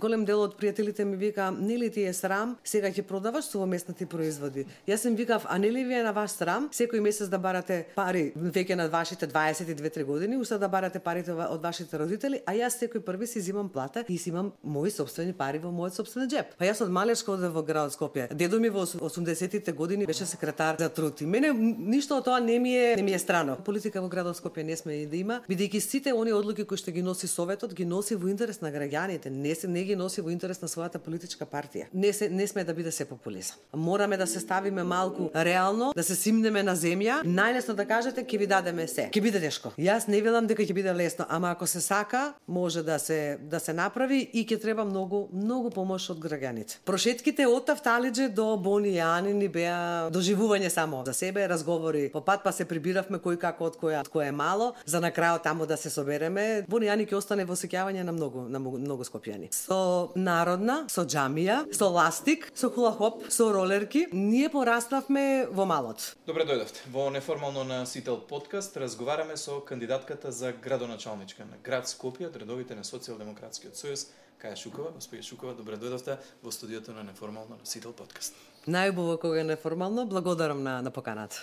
голем дел од пријателите ми вика, нели ти е срам, сега ќе продаваш совместни производи. Јас им викав, а нели ви е на вас срам секој месец да барате пари веќе на вашите 22-3 години, уста да барате парите од вашите родители, а јас секој први си зимам плата и си имам мои сопствени пари во мојот сопствен џеп. Па јас од малечка одев во градот Скопје. Дедо ми во 80-тите години беше секретар за труд. И мене ништо од тоа не ми е страно. Политика во градот Скопје не сме и да има, бидејќи сите оние одлуки кои што ги носи советот ги носи во интерес на граѓаните, не ги носи во интерес на својата политичка партија. Не сме да биде се популизам. Мораме да се ставиме малку реално, да се симнеме на земја, најлесно да кажете ќе ви дадеме се. Ќе биде тешко. Јас не велам дека ќе биде лесно, ама ако се сака, може да се направи и ќе треба многу помош од граѓаните. Прошетките од Тафталиџе до Бони Јани ни беа доживување само за себе, разговори по пат, па се прибиравме кој како од која е мало, за на крајот таму да се собереме. Бони Јани ќе остане во сеќавање на многу скопјани. Со народна, со џамија, со ластик, со хулахоп, со ролерки, ние пораснавме во малот. Добре дојдовте. Во неформално на Сител подкаст разговараме со кандидатката за градоначалничка на град Скопје од редовите на Социјалдемократскиот сојуз, Каја Шукова. Господја Шукова, добре дојдовте во студиото на неформално на Сител подкаст. Најубаво кога е неформално, благодарам на поканата.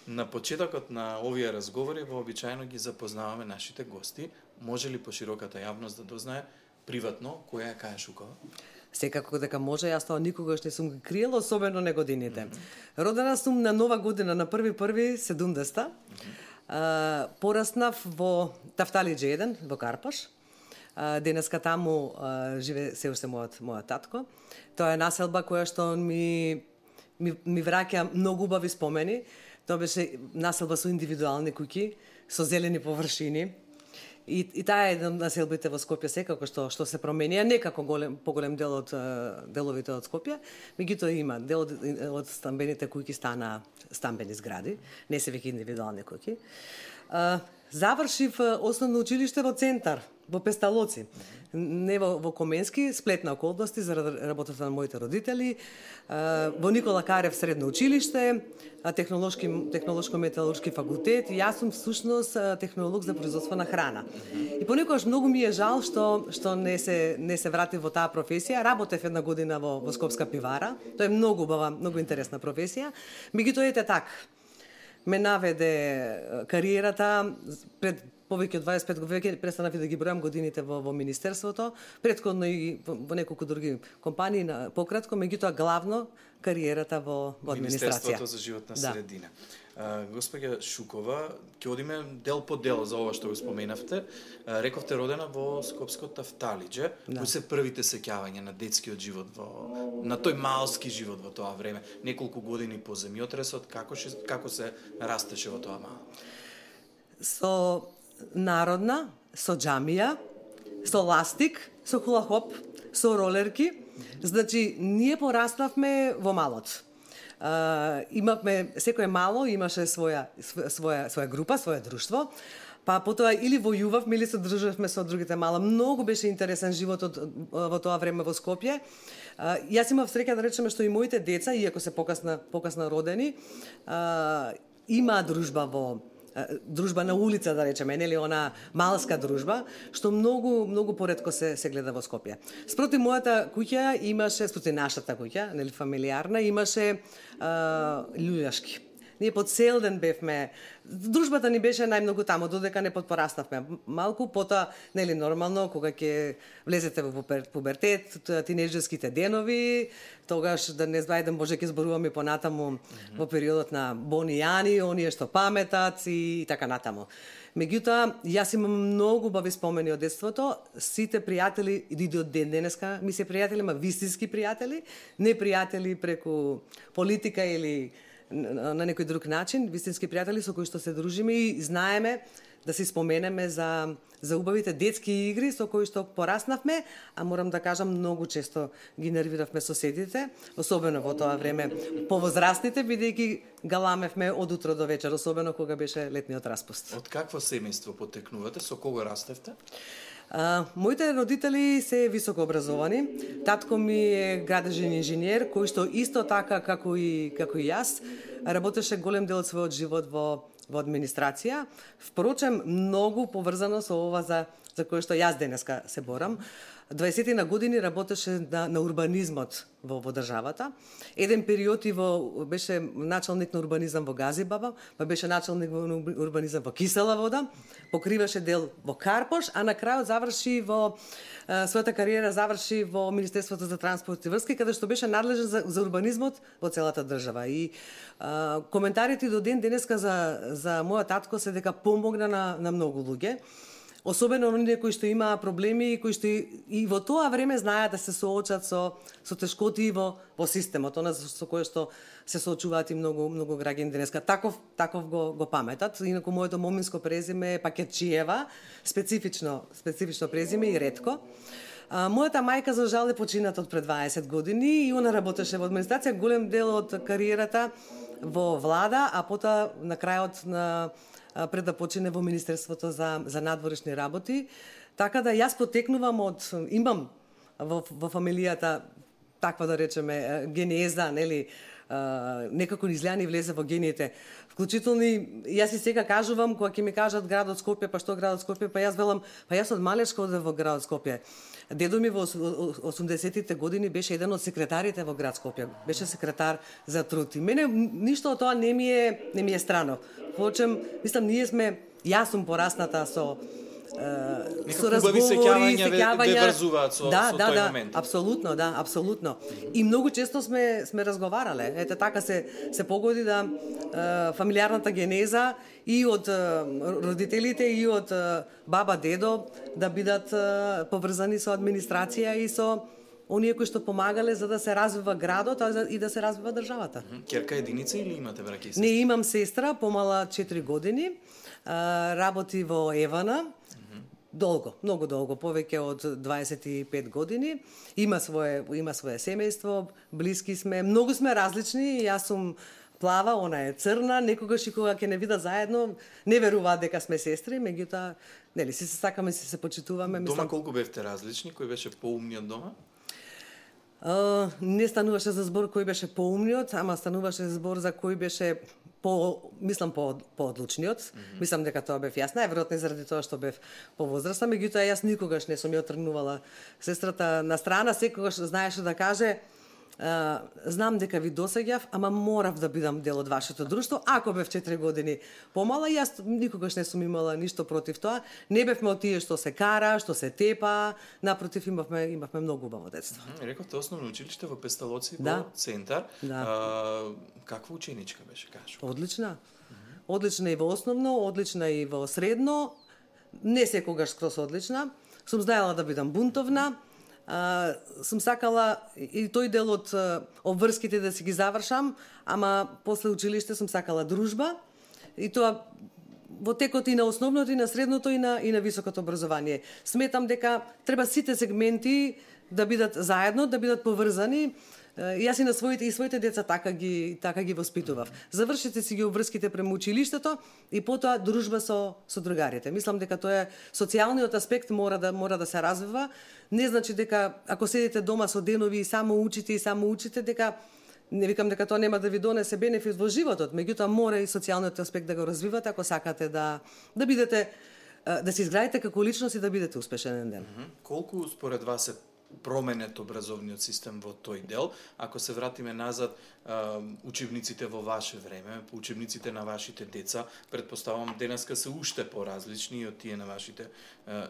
На почетокот на овие разговори вообичаено ги запознаваме нашите гости. Може ли пошироката јавност да дознае приватно која е Каја Шукова? Секако дека може, јас тоа никогаш не сум ги криела, особено не годините. Родена сум на Нова година, на 1.1.70. Пораснав во Тафталиџе 1, во Карпаш. Денеска таму живе се уште мојот татко. Тоа е населба која што ми враќа многу убави спомени. Тоа беше населба со индивидуални куќи, со зелени површини. И таа е една од населбите во Скопје секако што се промени, не како поголем дел од деловите од Скопје, меѓутоа има дел од стамбените куќи стана стамбени згради, не се веќе индивидуални куќи. Завршив основно училиште во центар, во Песталоци, не во Коменски, сплетна околности заради работата на моите родители, во Никола Карев средно училиште, технолошко-металуршки факултет, и јас сум всушност технолог за производство на храна. И понекогаш многу ми е жал што не се вратив во таа професија. Работев една година во Скопска пивара. Тоа е многу убава, многу интересна професија. Меѓутоа ете така. Ме наведе кариерата пред повеќе од 25 години, престанав и да ги бројам годините во министерството, претходно и во неколку други компании пократко, меѓутоа главно кариерата во администрација. Министерството за животна средина. Господја Шукова, ќе одиме дел по дел за ова што го споменавте. Рековте родена во Скопско Тафталиџе. Кои се првите сеќавања на детскиот живот на тој малски живот во тоа време? Неколку години по земјотресот, како се растеше во тоа мало? Со народна, со џамија, со ластик, со хулахоп, со ролерки. Значи, ние пораснавме во малот. Имавме, секој мало имаше своја група, своје друштво, па потоа или војувавме или се дружевме со другите мала. Многу беше интересен животот во тоа време во Скопје. Јас имав среќа да речеме што и моите деца, иако се покасно родени, има дружба на улица, да речеме, нели она малска дружба, што многу поретко се гледа во Скопје. Спроти мојата куќа имаше, спроти нашата куќа, нели фамилиарна, имаше љуѓашки. Ние по цел ден бевме, дружбата ни беше најмногу таму, додека не пораснавме. Малку потоа, нели нормално, кога ќе влезете во пубертет, тинеџерските денови, тогаш да не знајдем, може ќе зборуваме понатаму во периодот на Бони Јани, оние што паметат и така натаму. Меѓутоа, јас имам многу убави спомени од детството. Сите пријатели и до ден денеска ми се пријатели, ма вистински пријатели, не пријатели преку политика или на некој друг начин, вистински пријатели со кои што се дружиме и знаеме да се споменеме за убавите детски игри со кои што пораснавме, а морам да кажам, многу често ги нервиравме соседите, особено во тоа време повозрастните, бидејќи галамевме од утро до вечер, особено кога беше летниот распуст. Од какво семејство потекнувате? Со кого растевте? Моите родители се високо образовани. Татко ми е градежен инженер, кој што исто така како и јас работеше голем дел од својот живот во администрација. Впрочем, многу поврзано со ова за кое што јас денеска се борам. 20 на години работеше на урбанизмот во државата. Еден период и беше началник на урбанизам во Газибаба, па беше началник во урбанизам во Кисела Вода, покриваше дел во Карпош, а на крајот заврши својата кариера заврши во Министерството за транспорт и врски, каде што беше надлежен за урбанизмот во целата држава. И коментарите до ден денеска за мојот татко се дека помогна на многу луѓе. Особено оние кои што имаа проблеми, кои што и во тоа време знаеа да се соочат со тешкоти во системот, она со кое што се соочуваат и многу граѓани денеска. Таков го паметат. Инаку моето моминско презиме е Пакетчиева, специфично презиме и ретко. Мојата мајка за жал е почината од пред 20 години и она работеше во администрација, голем дел од кариерата во влада, а потоа на крајот пред да почине во Министерството за надворешни работи. Така да јас потекнувам имам во фамилијата таква да речеме генеза, нели, некако ни изгледа ни влезе во гениите. Вклучително јас и сега кажувам кога ќе ми кажат градот Скопје, па што градот Скопје, па јас велам, па јас од малечка одев во градот Скопје. Дедо ми во 80-тите години беше еден од секретарите во град Скопје. Беше секретар за труд. И мене ништо од тоа не ми е страно. Впрочем, мислам, јас сум порасната со разговори, сеќавања ве врзуваат со тој момент. Апсолутно. И многу често сме разговарале. Ете така се погоди да фамилиарната генеза и од родителите и од баба, дедо да бидат поврзани со администрација и со оние кои што помагале за да се развива градот и да се развива државата. Ќерка единица или имате браќа и сестра? Не, имам сестра, помала 4 години, работи во Евана, многу долго, повеќе од 25 години. Има свое семејство, блиски сме, многу сме различни, јас сум плава, она е црна, некогаш и кога ќе не видат заедно, не веруваат дека сме сестри, меѓутоа, нели, се сакаме, се почитуваме. Дома колку бевте различни, кој беше поумниот дома? Не стануваше за збор кој беше поумниот, ама стануваше збор за кој беше по-одлучниот. Мислам дека тоа бев јас, најверојатно заради тоа што бев повозрасна, меѓутоа јас никогаш не сум ја отргнувала сестрата на страна, секогаш знаеше да каже знам дека ви досеѓав, ама морав да бидам дел од вашето друштво. Ако бев 4 години помала, јас никогаш не сум имала ништо против тоа. Не бевме од тие што се кара, што се тепа, напротив имавме многу убаво детство. Рековте основно училиште во Песталоци, во центар. Каква ученичка беше, кажу? Одлична. Одлична и во основно, одлична и во средно. Не секогаш скрос одлична. Сум знаела да бидам бунтовна. Сум сакала и тој дел од обврските да си ги завршам, ама после училиште сум сакала дружба и тоа во текот и на основното и на средното и на високото образование. Сметам дека треба сите сегменти да бидат заедно, да бидат поврзани. Јас и на своите деца така ги воспитував. Завршите си ги обврските према училиштето и потоа дружба со другарите. Мислам дека тоа е социјалниот аспект мора да се развива. Не значи дека ако седите дома со денови и само учите дека не викам дека тоа нема да ви донесе бенефит во животот, меѓутоа мора и социјалниот аспект да го развивате ако сакате да бидете да се изградите како личност и да бидете успешен ден. Колку според вас е променет образовниот систем во тој дел? Ако се вратиме назад, учебниците во ваше време, учебниците на вашите деца, предпоставам денеска се уште поразлични од тие на вашите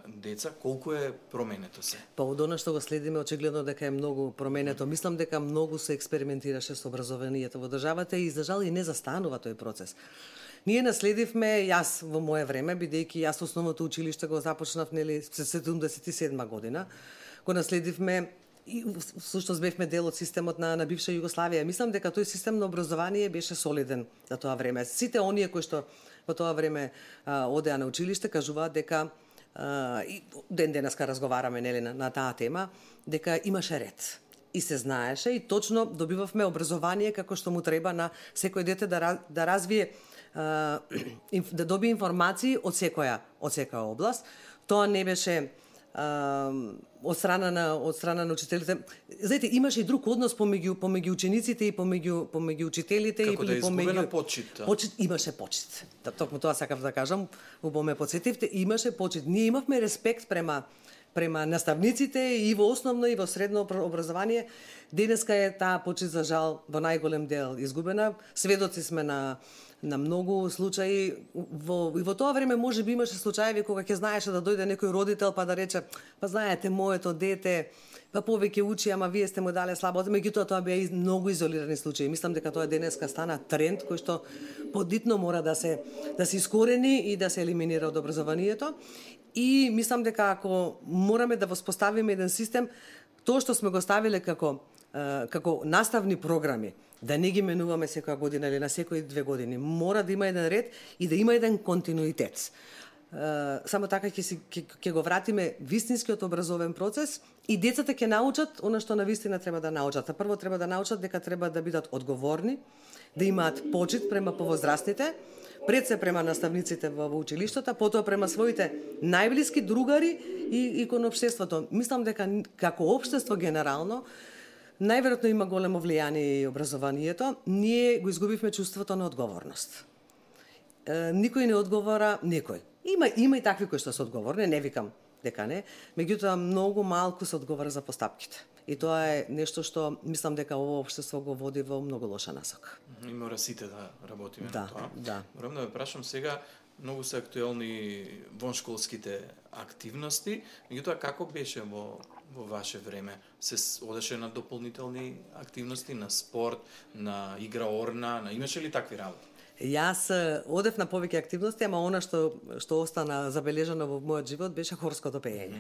деца. Колку е променето се? Па од она што го следиме, очигледно дека е многу променето. Мислам дека многу се експериментираше со образованието во државата и за жал и не застанува тој процес. Ние наследивме, јас во мое време, бидејќи јас основното училиште го започнав нели 77 година, го наследивме и всушност бевме дел од системот на бивша Југославија. Мислам дека тој систем на образование беше солиден за тоа време. Сите оние кои што во тоа време одеа на училиште кажуваат дека и ден денеска разговараме нели на таа тема, дека имаше ред. И се знаеше и точно добивавме образование како што му треба на секој дете да развие да добие информации од секоја област. Тоа не беше од страна на учителите. Знаете, имаше и друг однос помеѓу учениците и помеѓу учителите како и помеѓу почит. Почит имаше почит. Токму тоа сакав да кажам, убаво ме потсетивте, имаше почит. Ние имавме респект према према наставниците и во основно и во средно образование. Денеска е таа почит за жал во најголем дел изгубена. Сведоци сме на многу случаи. И во тоа време може би имаше случаеви кога ќе знаеше да дојде некој родител па да рече, па знаете, моето дете па повеќе учи, ама вие сте му дале слабото. Меѓутоа тоа беа многу изолирани случаи. Мислам дека тоа денеска стана тренд кој што подитно мора да се искорени и да се елиминира од образованието. И мислам дека ако мораме да воспоставиме еден систем, тоа што сме го ставиле како наставни програми, да не ги менуваме секоја година или на секои 2 години, мора да има еден ред и да има еден континуитет. Само така ќе го вратиме вистинскиот образовен процес и децата ќе научат она што навистина треба да научат. Прво треба да научат дека треба да бидат одговорни, да имаат почит према повозрастните, пред се према наставниците во училиштата, потоа према своите најблиски другари и кон општеството. Мислам дека како општество генерално најверојатно има големо влијание и образованието. Ние го изгубивме чувството на одговорност. Никој не одговора, некој. Има и такви кои што се одговорни, не викам дека не, меѓутоа многу малку се одговара за постапките. И тоа е нешто што мислам дека ово општество го води во многу лоша насока. И мора сите да работиме на тоа. Да. Морам да ве прашам сега, многу се актуелни воншколските активности, меѓутоа како беше во ваше време? Се одеше на дополнителни активности, на спорт, на игра орна, имаше ли такви работи? Јас одев на повеќе активности, ама она што остана забележано во мојот живот беше хорското пеење.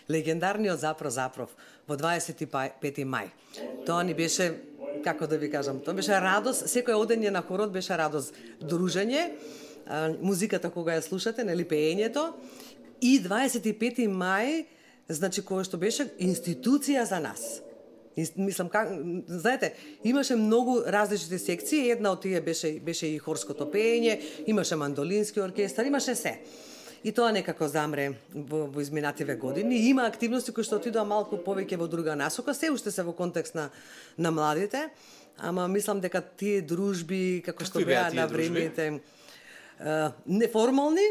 Легендарниот Запров во 25 мај. Тоа ни беше, како да ви кажам, тоа беше радост, секој одење на хорот беше радост, дружење, музиката кога ја слушате, нели пеењето, и 25 мај, значи кој што беше институција за нас. Мислам, знаете, имаше многу различни секции, една од тие беше и хорското пеење, имаше мандолински оркестар, имаше се. И тоа некако замре во изминативе години. Има активности кои што отидоа малку повеќе во друга насока, се уште се во контекст на младите, ама мислам дека тие дружби, како што беа на времените, неформални,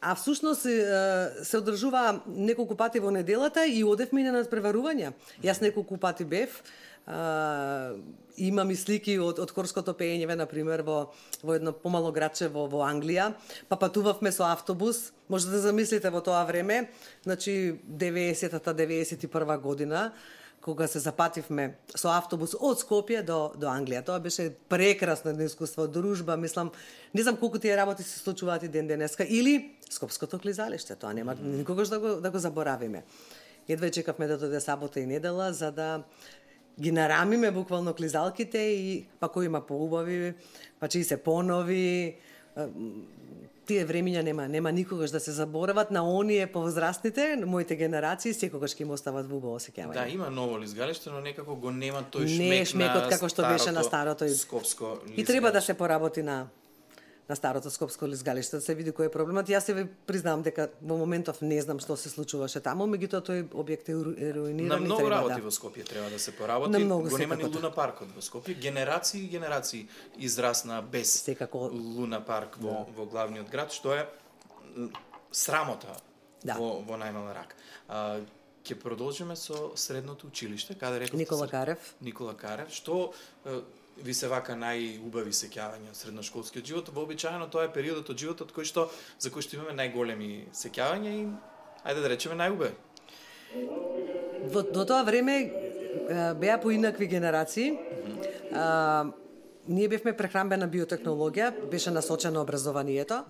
а всушност се одржува неколку пати во неделата и одевме на надпреварувања. Јас неколку пати бев, имам и слики од хорското пеење, например, во едно помало градче во Англија, па патувавме со автобус, може да замислите во тоа време, значи 90-та, 91 година, кога се запативме со автобус од Скопје до Англија. Тоа беше прекрасно искуство, дружба, мислам, не знам колку тие работи се случуваат и ден денеска, или Скопското клизалиште, тоа нема никогаш да го заборавиме. Едва чекавме да дојде сабота и недела за да ги нарамиме буквално клизалките и па кој има поубави, па чии се понови. Тие времиња нема никогаш да се заборават на оние повозрастните, моите генерации, секогаш ќе им остават во убаво сеќавање. Да, има ново лизгалиште, но некако го нема тој шмек не шмекот како што беше на старото скопско лизгалиште. И треба да се поработи на старото скопско лизгалиште, да се види кој е проблемот. Јас се признавам дека во моментов не знам што се случуваше таму, меѓутоа тој објект е руиниран. На многу работи во Скопје треба да се поработи. Го нема ни Луна паркот во Скопје. Генерации и генерации израсна без Луна парк во главниот град, што е срамота во најмала рак. Ќе продолжиме со средното училиште, каде реков Никола Карев, што ви се вака најубави сеќавања од средношколскиот живот. Вообичаено тоа е периодот од животот за кој што имаме најголеми сеќавања и ајде да речеме најубави. До тоа време беа поинакви генерации. Ние бевме прехранбена биотехнологија, беше насочено образованието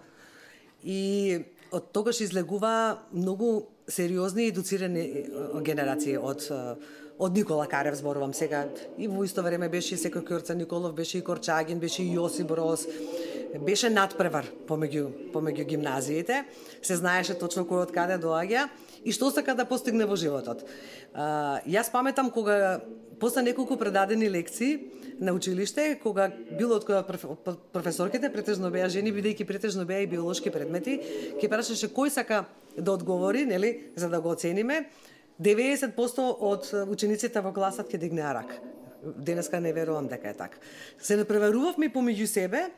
и од тогаш излегува многу сериозни и едуцирани генерации од Никола Карев, зборувам сега, и во исто време беше и Секој Ќорца Николов, беше и Корчагин, беше и Јосип Broz, беше надпревар помеѓу гимназиите, се знаеше точно кој од каде доаѓа и што сака да постигне во животот. Јас паметам кога после неколку предадени лекции на училиште, кога било од која професорките претежно беа жени, бидејќи претежно беа и биолошки предмети, ќе прашаше кој сака да одговори, нели, за да го оцениме. 90% од учениците во класот ќе дигнеа рак. Денеска не верувам дека е така. Се напреварувавме помеѓу себе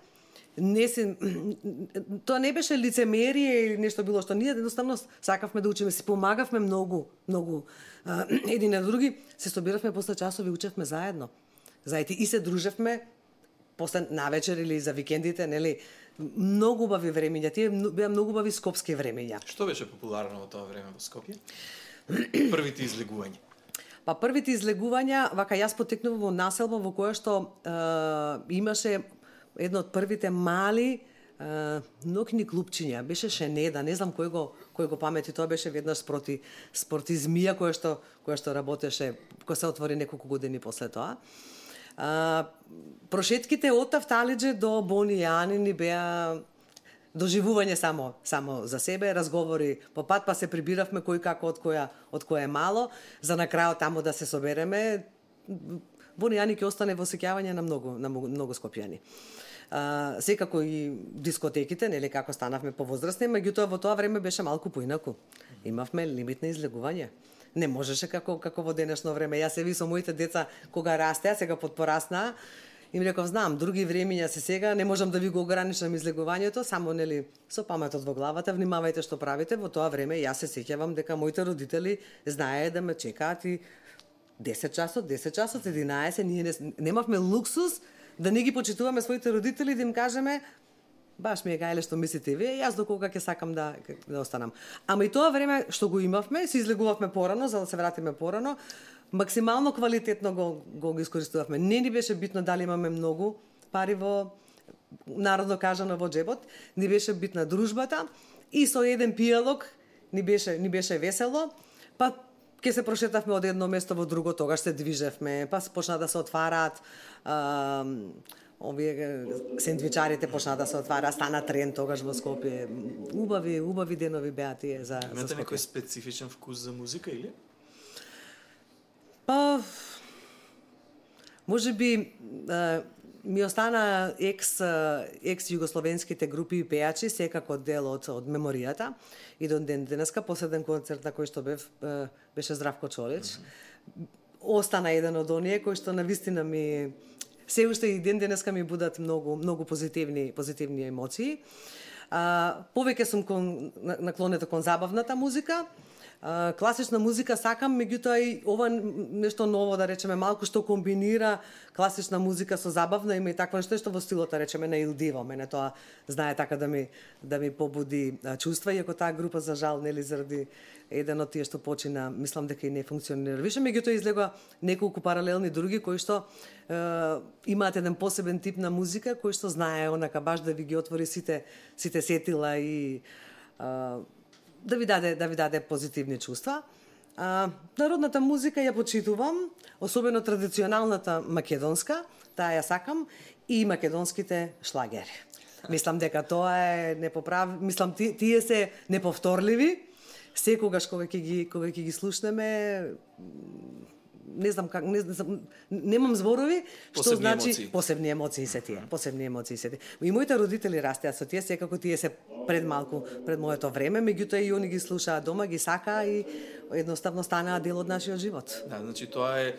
тоа не беше лицемерие или нешто било што ние едноставно сакавме да учиме, си помагавме многу едни на други, се собиравме после часови, учевме заедно. И се дружевме после навечер или за викендите, нели? Многу убави времења, тие беа многу убави скопски времења. Што беше популарно во тоа време во Скопје? Првите излегувања. Па првите излегувања, вака јас потекнувам во населба во која што имаше едно од првите мали ноќни клупчиња. Беше Шенеда, не знам кој го памети, тоа беше веднаш спорти змија која што работеше, која се отвори неколку години после тоа. Прошетките од Тафталиџе до Бони Јанини беа доживување само за себе, разговори по пат, па се прибиравме кој како од која е мало, за на крајот таму да се собереме. Бони Јани ќе остане во сеќавање на многу скопјани. Секако и дискотеките, нели, како станавме повозрастни, меѓутоа во тоа време беше малку поинаку. Имавме лимит на излегување. Не можеше како во денешно време. Јас се ви со моите деца кога растеа, сега подпораснаа, им реков, знам, други времења се сега, не можам да ви го ограничам излегувањето, само нели со паметот во главата, внимавајте што правите. Во тоа време јас се сеќавам дека моите родители знаеа да ме чекаат и 10 часот, 11, ние немавме луксус да не ги почитуваме своите родители, да им кажеме баш ми е гајле што мислите вие, јас до кога ќе сакам да останам. Ама и тоа време што го имавме, се излегувавме порано, за да се вратиме порано, максимално квалитетно го искористувавме. Не ни беше битно дали имаме многу пари во, народно кажано, во джебот, ни беше битна дружбата и со еден пијалок ни беше весело, па ќе се прошетавме од едно место во друго, тогаш се движевме, па почна да се отвараат овие сендвичарите, почна да се отвара, стана тренд тогаш во Скопје. Убави денови беа тие за Скопје. Имате некој специфичен вкус за музика или? Па можеби ми остана екс југословенските групи и пејачи секако дел од меморијата и до ден денеска последен концерт на кој што беше Здравко Чолич. Остана еден од оние кои што навистина ми се уште и ден денеска ми будат многу позитивни емоции. Повеќе сум наклонета кон забавната музика. Класична музика сакам, меѓутоа и ова нешто ново, да речеме, малку што комбинира класична музика со забавна, има и таква нешто што во стилот, да речеме, на Илдиво. Мене тоа знае така да ми побуди чувства, иако таа група за жал, нели, заради еден од тие што почина, мислам дека и не функционира више, меѓутоа излега неколку паралелни други кои што имаат еден посебен тип на музика кој што знае онака баш да ви ги отвори сите сетила и да ви даде позитивни чувства. Народната музика ја почитувам, особено традиционалната македонска, таа ја сакам, и македонските шлагери. Мислам дека тоа е мислам тие се неповторливи. Секогаш кога ќе ги слушнеме, не знам как, немам зборови, што значи посебни емоции се тие. И моите родители растеа со тие, секако тие се пред моето време, меѓутоа и они ги слушаат дома, ги сакаа и едноставно станаа дел од нашиот живот. Да, значи тоа е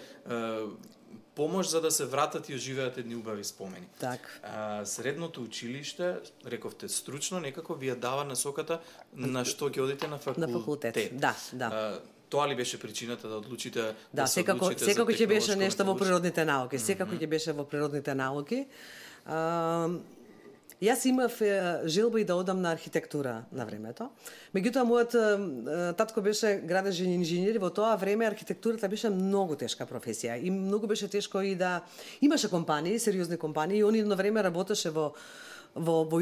помош за да се вратат и оживеат едни убави спомени. Так. Средното училиште, рековте, стручно некако ви ја дава насоката на што ќе одите на факултет. На факултет, да. Тоа ли беше причината да одлучите да се одлучите секако ќе беше нешто во природните науки, секако ќе беше во природните науки. Јас имав желба и да одам на архитектура на времето. Меѓутоа мојот татко беше градежен инженер и во тоа време архитектурата беше многу тешка професија и многу беше тешко и да имаше компании, сериозни компании, и они на време работеше во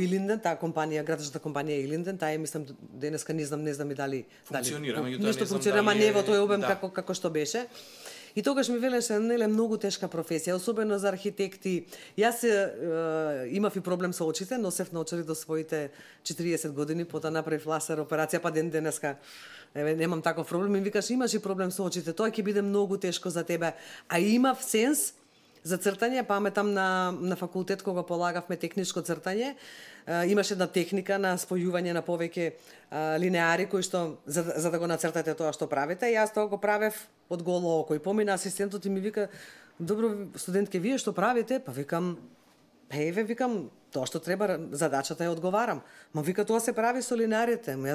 Илинден, таа компанија, градежната компанија Илинден, таа е, мислам, денеска не знам и дали функционира, нешто функционира, ама не во тој обем како што беше. И тогаш ми велеше, неле, многу тешка професија, особено за архитекти. Јас имав и проблем со очите, носев наочари до своите 40 години, потоа направив лазер операција, па ден денеска немам таков проблем. И викаш, имаш и проблем со очите, тоа ќе биде многу тешко за тебе. А имав сенс за цртање, паметам на факултет кога полагавме техничко цртање, имаше една техника на спојување на повеќе линеари кои што за да го нацртате тоа што правите. Јас тоа го правев од голо око и помина асистентот и ми вика: "Добро, студентке, вие што правите?" Па викам: еве, викам, тоа што треба, задачата ја одговарам. Ма вика, тоа се прави со линарите. Ма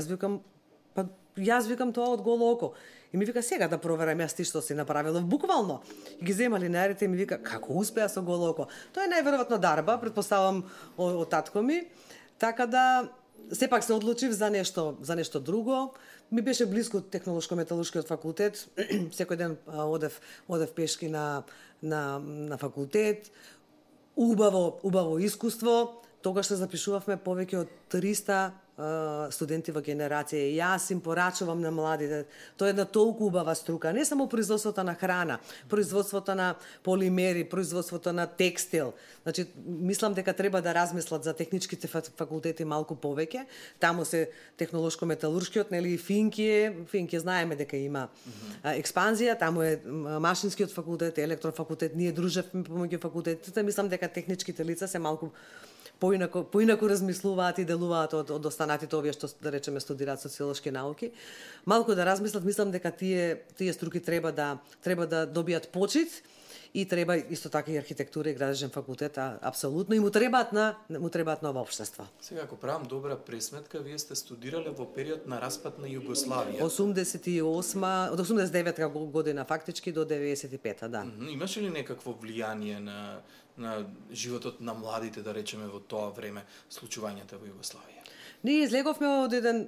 јас викам тоа од голо око. И ми вика, сега да проверам јас ти што си направила. Буквално. И ги зема линарите и ми вика, како успеа со голо око. Тоа е најверојатно дарба, претпоставам од татко ми. Така да, сепак се одлучив за нешто друго. Ми беше близко технолошко-металуршкиот факултет. Секој ден одев пешки на факултет. Убаво искуство. Тогаш се запишувавме повеќе од 300 студенти во генерација. Јас им порачувам на младите. Тоа е една толку убава струка. Не само производството на храна, производството на полимери, производството на текстил. Значи, мислам дека треба да размислат за техничките факултети малку повеќе. Таму се технолошко-металуршкиот, нели, Финки знаеме дека има експанзија. Таму е машинскиот факултет, електрофакултет. Ние дружевме помеѓу факултетите. Мислам дека техничките лица се малку поинаку размислуваат и делуваат од останатите овие што, да речеме, студираат социолошки науки. Малку да размислат, мислам дека тие струки треба да добијат почит и треба исто така и архитектура и градежен факултет, апсолутно, и му требаат нова општество. Сега, ако правам добра пресметка, вие сте студирале во период на распад на Југославија. 88, од 89 година фактички до 95-та, да. Имаше ли некакво влијание на животот на младите, да речеме, во тоа време, случувањата во Југославија? Ние излеговме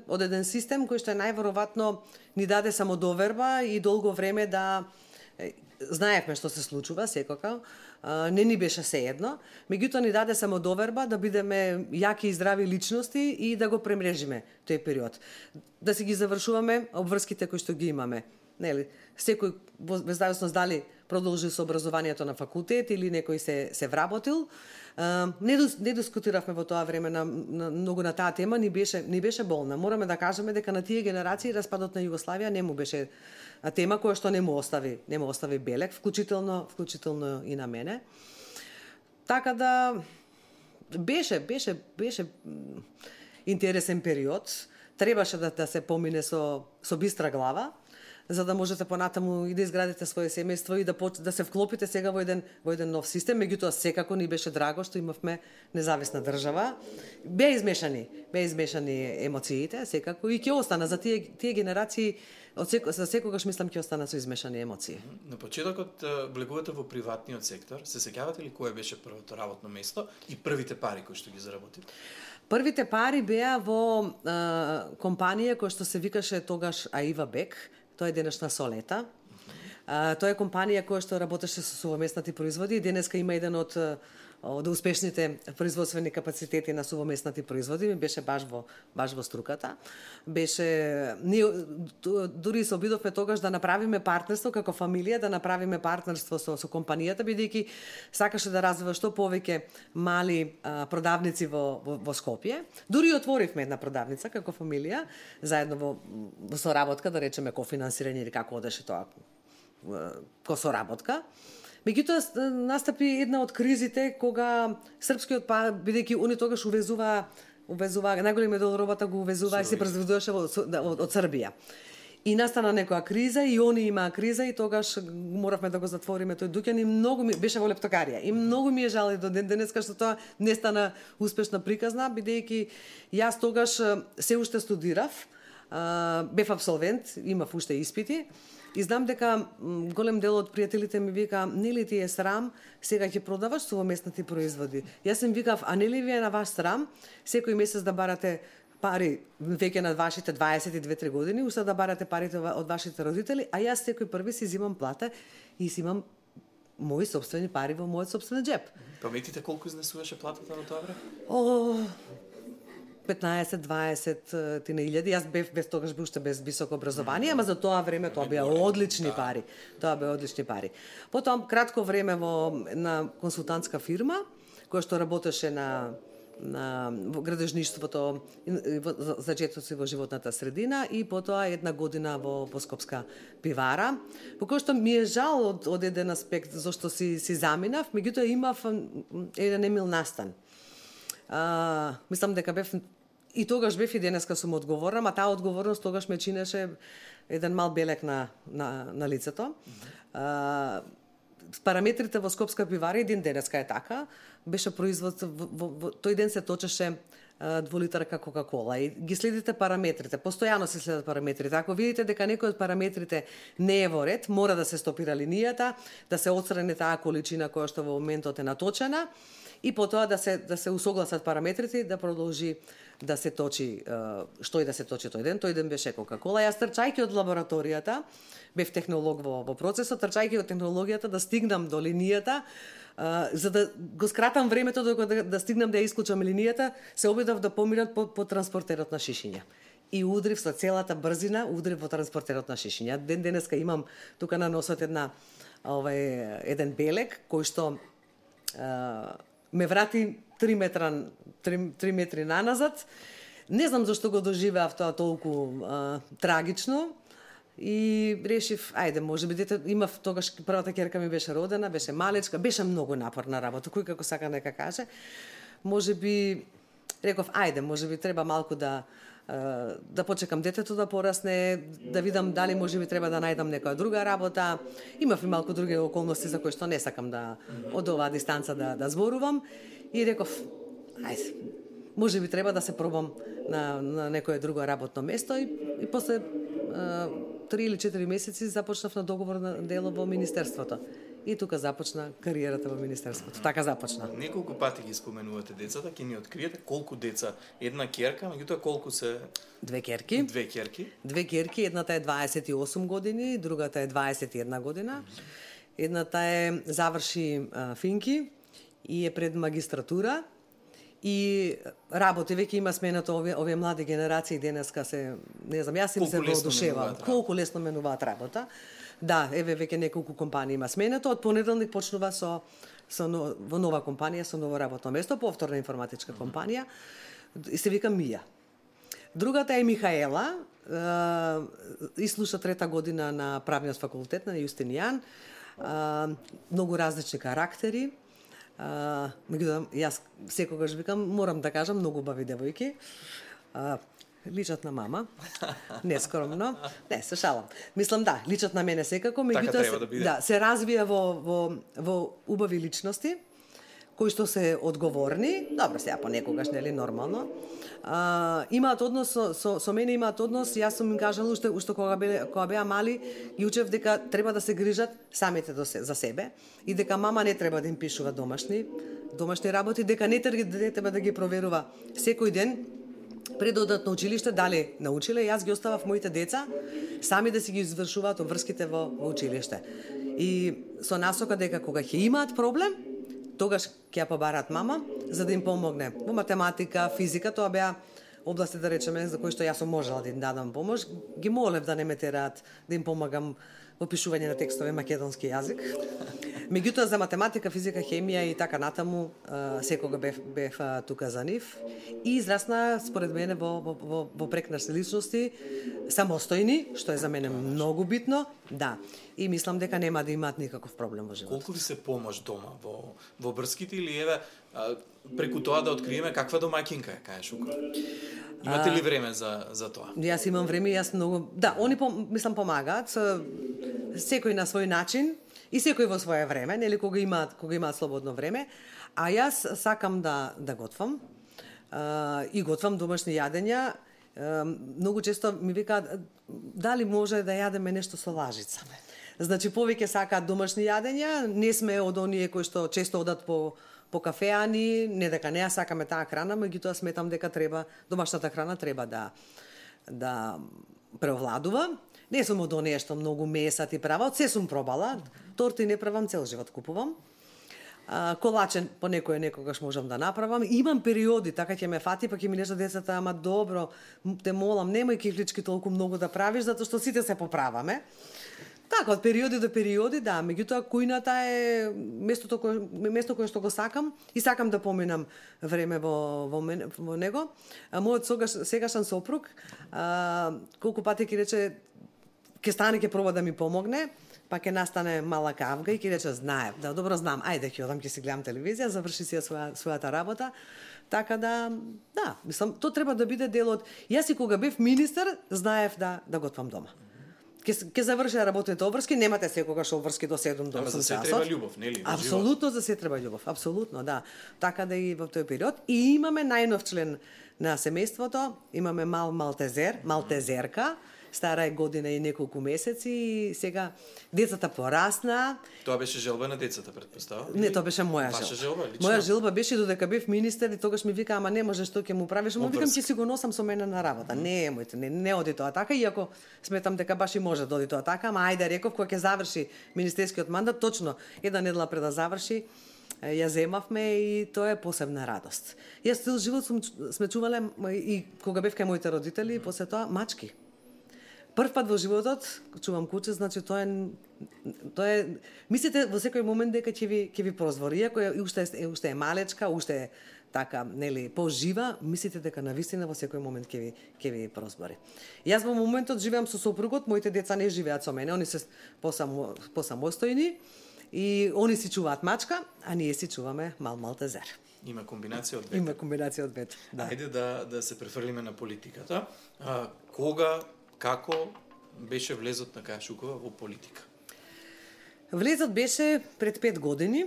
од еден систем кој што најверојатно ни даде самодоверба и долго време да знаевме што се случува секако, не ни беше сеедно, меѓутоа ни даде самодоверба да бидеме јаки и здрави личности и да го премрежиме тој период. Да си ги завршуваме обврските кои што ги имаме. Нели, секој без зависност дали продолжи со образованието на факултет или некој се вработил. Не дискутиравме во тоа време многу на таа тема, ни беше болна. Мораме да кажеме дека на тие генерации распадот на Југославија не му беше тема која што не му остави белек, вклучително и на мене. Така да беше интересен период. Требаше да се помине со бистра глава, за да можете понатаму и да изградите свое семејство и да се вклопите сега во еден нов систем. Меѓутоа секако ни беше драго што имавме независна држава. Беа измешани емоциите, секако, и ќе остана за тие генерации. За секогаш мислам ќе остана со измешани емоции. На почетокот влегувате во приватниот сектор. Се сеќавате ли кое беше првото работно место и првите пари кои што ги заработите? Првите пари беа во компанија која што се викаше тогаш Аива Бек. Тоа е денешна Солета. Тоа е компанија која што работеше со сувоместнати производи и денеска има еден од успешните производствени капацитети на сувоместнати производи. Ми беше баш во струката. Ние дури се обидовме тогаш да направиме партнерство како фамилија, да направиме партнерство со компанијата, бидејќи сакаше да развива што повеќе мали продавници во Скопје. Дури отворивме една продавница како фамилија, заедно во соработка, да речеме кофинансирање или како одеше тоа, соработка. Меѓутоа настапи една од кризите кога српскиот бидејќи они тогаш увезува најголемиот дел робата го увезува и се произведуваше од Србија. И настана некоја криза и они имаа криза и тогаш моравме да го затвориме тој дуќан и многу ми беше во лептокарија. И многу ми е жал и до ден денеска што тоа не стана успешна приказна, бидејќи јас тогаш се уште студирав, бев абсолвент, имав уште испити. И знам дека голем дел од пријателите ми вика, нели ти е срам, сега ќе продаваш сувоместнати производи. Јас им викав, а нели ви е на ваш срам, секој месец да барате пари веќе на вашите 22-3 години, уште да барате парите од вашите родители, а јас секој први си зимам плата и си имам мои собствени пари во мојот собствен џеп. Паметите колку изнесуваше платата на тоа време? 15-20 илјади. Јас бев тогаш уште без високо образование, ама за тоа време тоа беа одлични пари. Потоа кратко време во една консултантска фирма која што работеше на градежништвото, зачетоци во животната средина и потоа една година во Скопска пивара. По кој што ми е жал од еден аспект зашто си заминав, меѓутоа имав еден емил настан. Мислам дека бев и тогаш бев и денеска сум одговорна, а таа одговорност тогаш ме чинеше еден мал белек на лицето. параметрите во Скопска пивара и ден денеска е така, беше производ тој ден се точеше 2 литарка Кока-кола и ги следите параметрите, постојано се следат параметрите. Ако видите дека некој од параметрите не е во ред, мора да се стопира линијата, да се отстрани таа количина која што во моментот е наточена и потоа да се усогласат параметрите и да продолжи да се точи што и да се точи тој ден. Тој ден беше Кока-кола. Јас трчајќи од лабораторијата, бев технолог во процесот, трчајќи од технологијата да стигнам до линијата, за да го скратам времето докато да стигнам да ја исклучам линијата, се обидов да поминат по транспортерот на шишиња. И удрив со целата брзина, удрив во транспортерот на шишиња. Ден денеска имам тука на носот еден белек кој што ме врати 3 метри наназад. Не знам зашто го доживеав тоа толку трагично. И решив, ајде, може би дете, имав тогаш првата ќерка ми беше родена, беше малечка, беше многу напорна работа, кој како сака нека каже. Може би реков, ајде, може би треба малку да почекам детето да порасне, да видам дали може би треба да најдам некоја друга работа. Имав и малку други околности за кои што не сакам да од оваа дистанца да зборувам и реков, ајде, може би треба да се пробам на некое друго работно место и после 3 или 4 месеци започнав на договор на дело во Министерството. И тука започна кариерата во Министерството. Така започна. Неколку пати ги споменувате децата, ќе ни откриете колку деца, една ќерка, меѓутоа колку се... 2 ќерки. 2 ќерки. 2 ќерки, едната е 28 години, другата е 21 година. Едната заврши финки и е пред магистратура. И работи, веќе има сменато овие млади генерации денеска се, не знам, јас им се воодушевам. Колку лесно менуваат работа. Да, еве веќе неколку компании има сменато. Од понеделник почнува во нова компанија, со ново работно место, повторна информатичка компанија. И се вика Мија. Другата е Михаела, и слуша 3-та година на правниот факултет на Јустинијан. Многу различни карактери. Меѓутоа, јас секогаш викам, морам да кажам, многу убави девојки. Личат на мама. Нескромно. Не, се шалам. Мислам, да, личат на мене секако, меѓутоа се развија во убави личности, кои што се одговорни, добро сега понекогаш, нели, нормално. Имаат однос со мене, имаат однос, јас сум им кажала уште кога беа мали, ги учев дека треба да се грижат самите за себе и дека мама не треба да им пишува домашни работи, дека не треба да ги проверува секој ден пред да одат на училиште дали научиле. Јас ги оставав моите деца сами да си ги извршуваат обврските во училиште. И со насока дека кога ќе имаат проблем, тогаш ќе ја побараат мама за да им помогне во математика, физика, тоа беа области, да речеме, за кои што јас сум можела да им дадам помош. Ги молев да не ме тераат да им помагам во пишување на текстови македонски јазик. Меѓутоа за математика, физика, хемија и така натаму секога бев тука за нив и израсна според мене во прекрасни личности, самостојни, што е за мене многу битно, да. И мислам дека нема да имаат никаков проблем во животот. Колку ви се помош дома во врските или еве преку тоа да откриеме каква домаќинка е кај Шуко? Имате ли време за тоа? Јас имам време, јас многу... Да, они мислам помагаат, секој на свој начин и секој во свое време, нели кога имаат слободно време, а јас сакам да готвам и готвам домашни јадења. Многу често ми викаат дали може да јадеме нешто со лажица. Значи повеќе сакаат домашни јадења, не сме од оние кои што често одат по кафеани, не дека не ја сакаме таа храна, меѓутоа сметам дека домашната храна треба да преовладува. Не сум од оние што многу месат и прават, се сум пробала. Торти не правам, цел живот купувам. Колачен по некогаш можам да направам. Имам периоди, така ќе ме фати, па ќе ми лежат децата, ама добро, те молам, немој кифлички толку многу да правиш, затоа што сите се поправаме. Така, од периоди до периоди, да, меѓутоа кујната е место кое што го сакам и сакам да поминам време во него. Мојот сегашен сопруг, колку пати ќе рече, ќе стане, ќе проба да ми помогне, па ќе настане мала кавга и ќе рече, знае, да, добро знам, ајде ќе одам, ќе си гледам телевизија, заврши си својата работа. Така да, мислам, тоа треба да биде дел од... Јас и кога бев министер, знаев да готвам дома. ќе заврши работните обврски, немате секогаш обврски до 7 до 8 часот. Ама за се треба љубов, нели? Апсолутно за се треба љубов, апсолутно, да. Така да и во тој период. И имаме најнов член на семејството, имаме малтезерка, стара е година и неколку месеци и сега децата порасна. Тоа беше желба на децата, претпоставам? Не, тоа беше моја желба. Ваша желба, лично? Моја желба беше додека бев министер и тогаш ми вика, ама не можеш, што ќе му правиш? Му викам, ќе си го носам со мене на работа. Не, моите, не оди тоа така, иако сметам дека баш и може да оди тоа така, ама ајде реков кога ќе заврши министерскиот мандат, точно една недела пред да заврши, ја земавме и тоа е посебна радост. Јас цел живот сме чувале и кога бев кај моите родители, после тоа мачки. Прв пат во животот чувам куче, значи тоа е мислите во секој момент дека ќе ви прозвори, иако уште е малечка, уште е така, нели, пожива, мислите дека навистина во секој момент ќе ви прозвори. Јас во моментот живеам со сопругот, моите деца не живеат со мене, они се посамостојни и они си чуваат мачка, а ние си чуваме малтезер. Има комбинација од двете. Има комбинација од двете, да. Ајде да се префрлиме на политиката. Како беше влезот на Каја Шукова во политика? Влезот беше пред 5 години.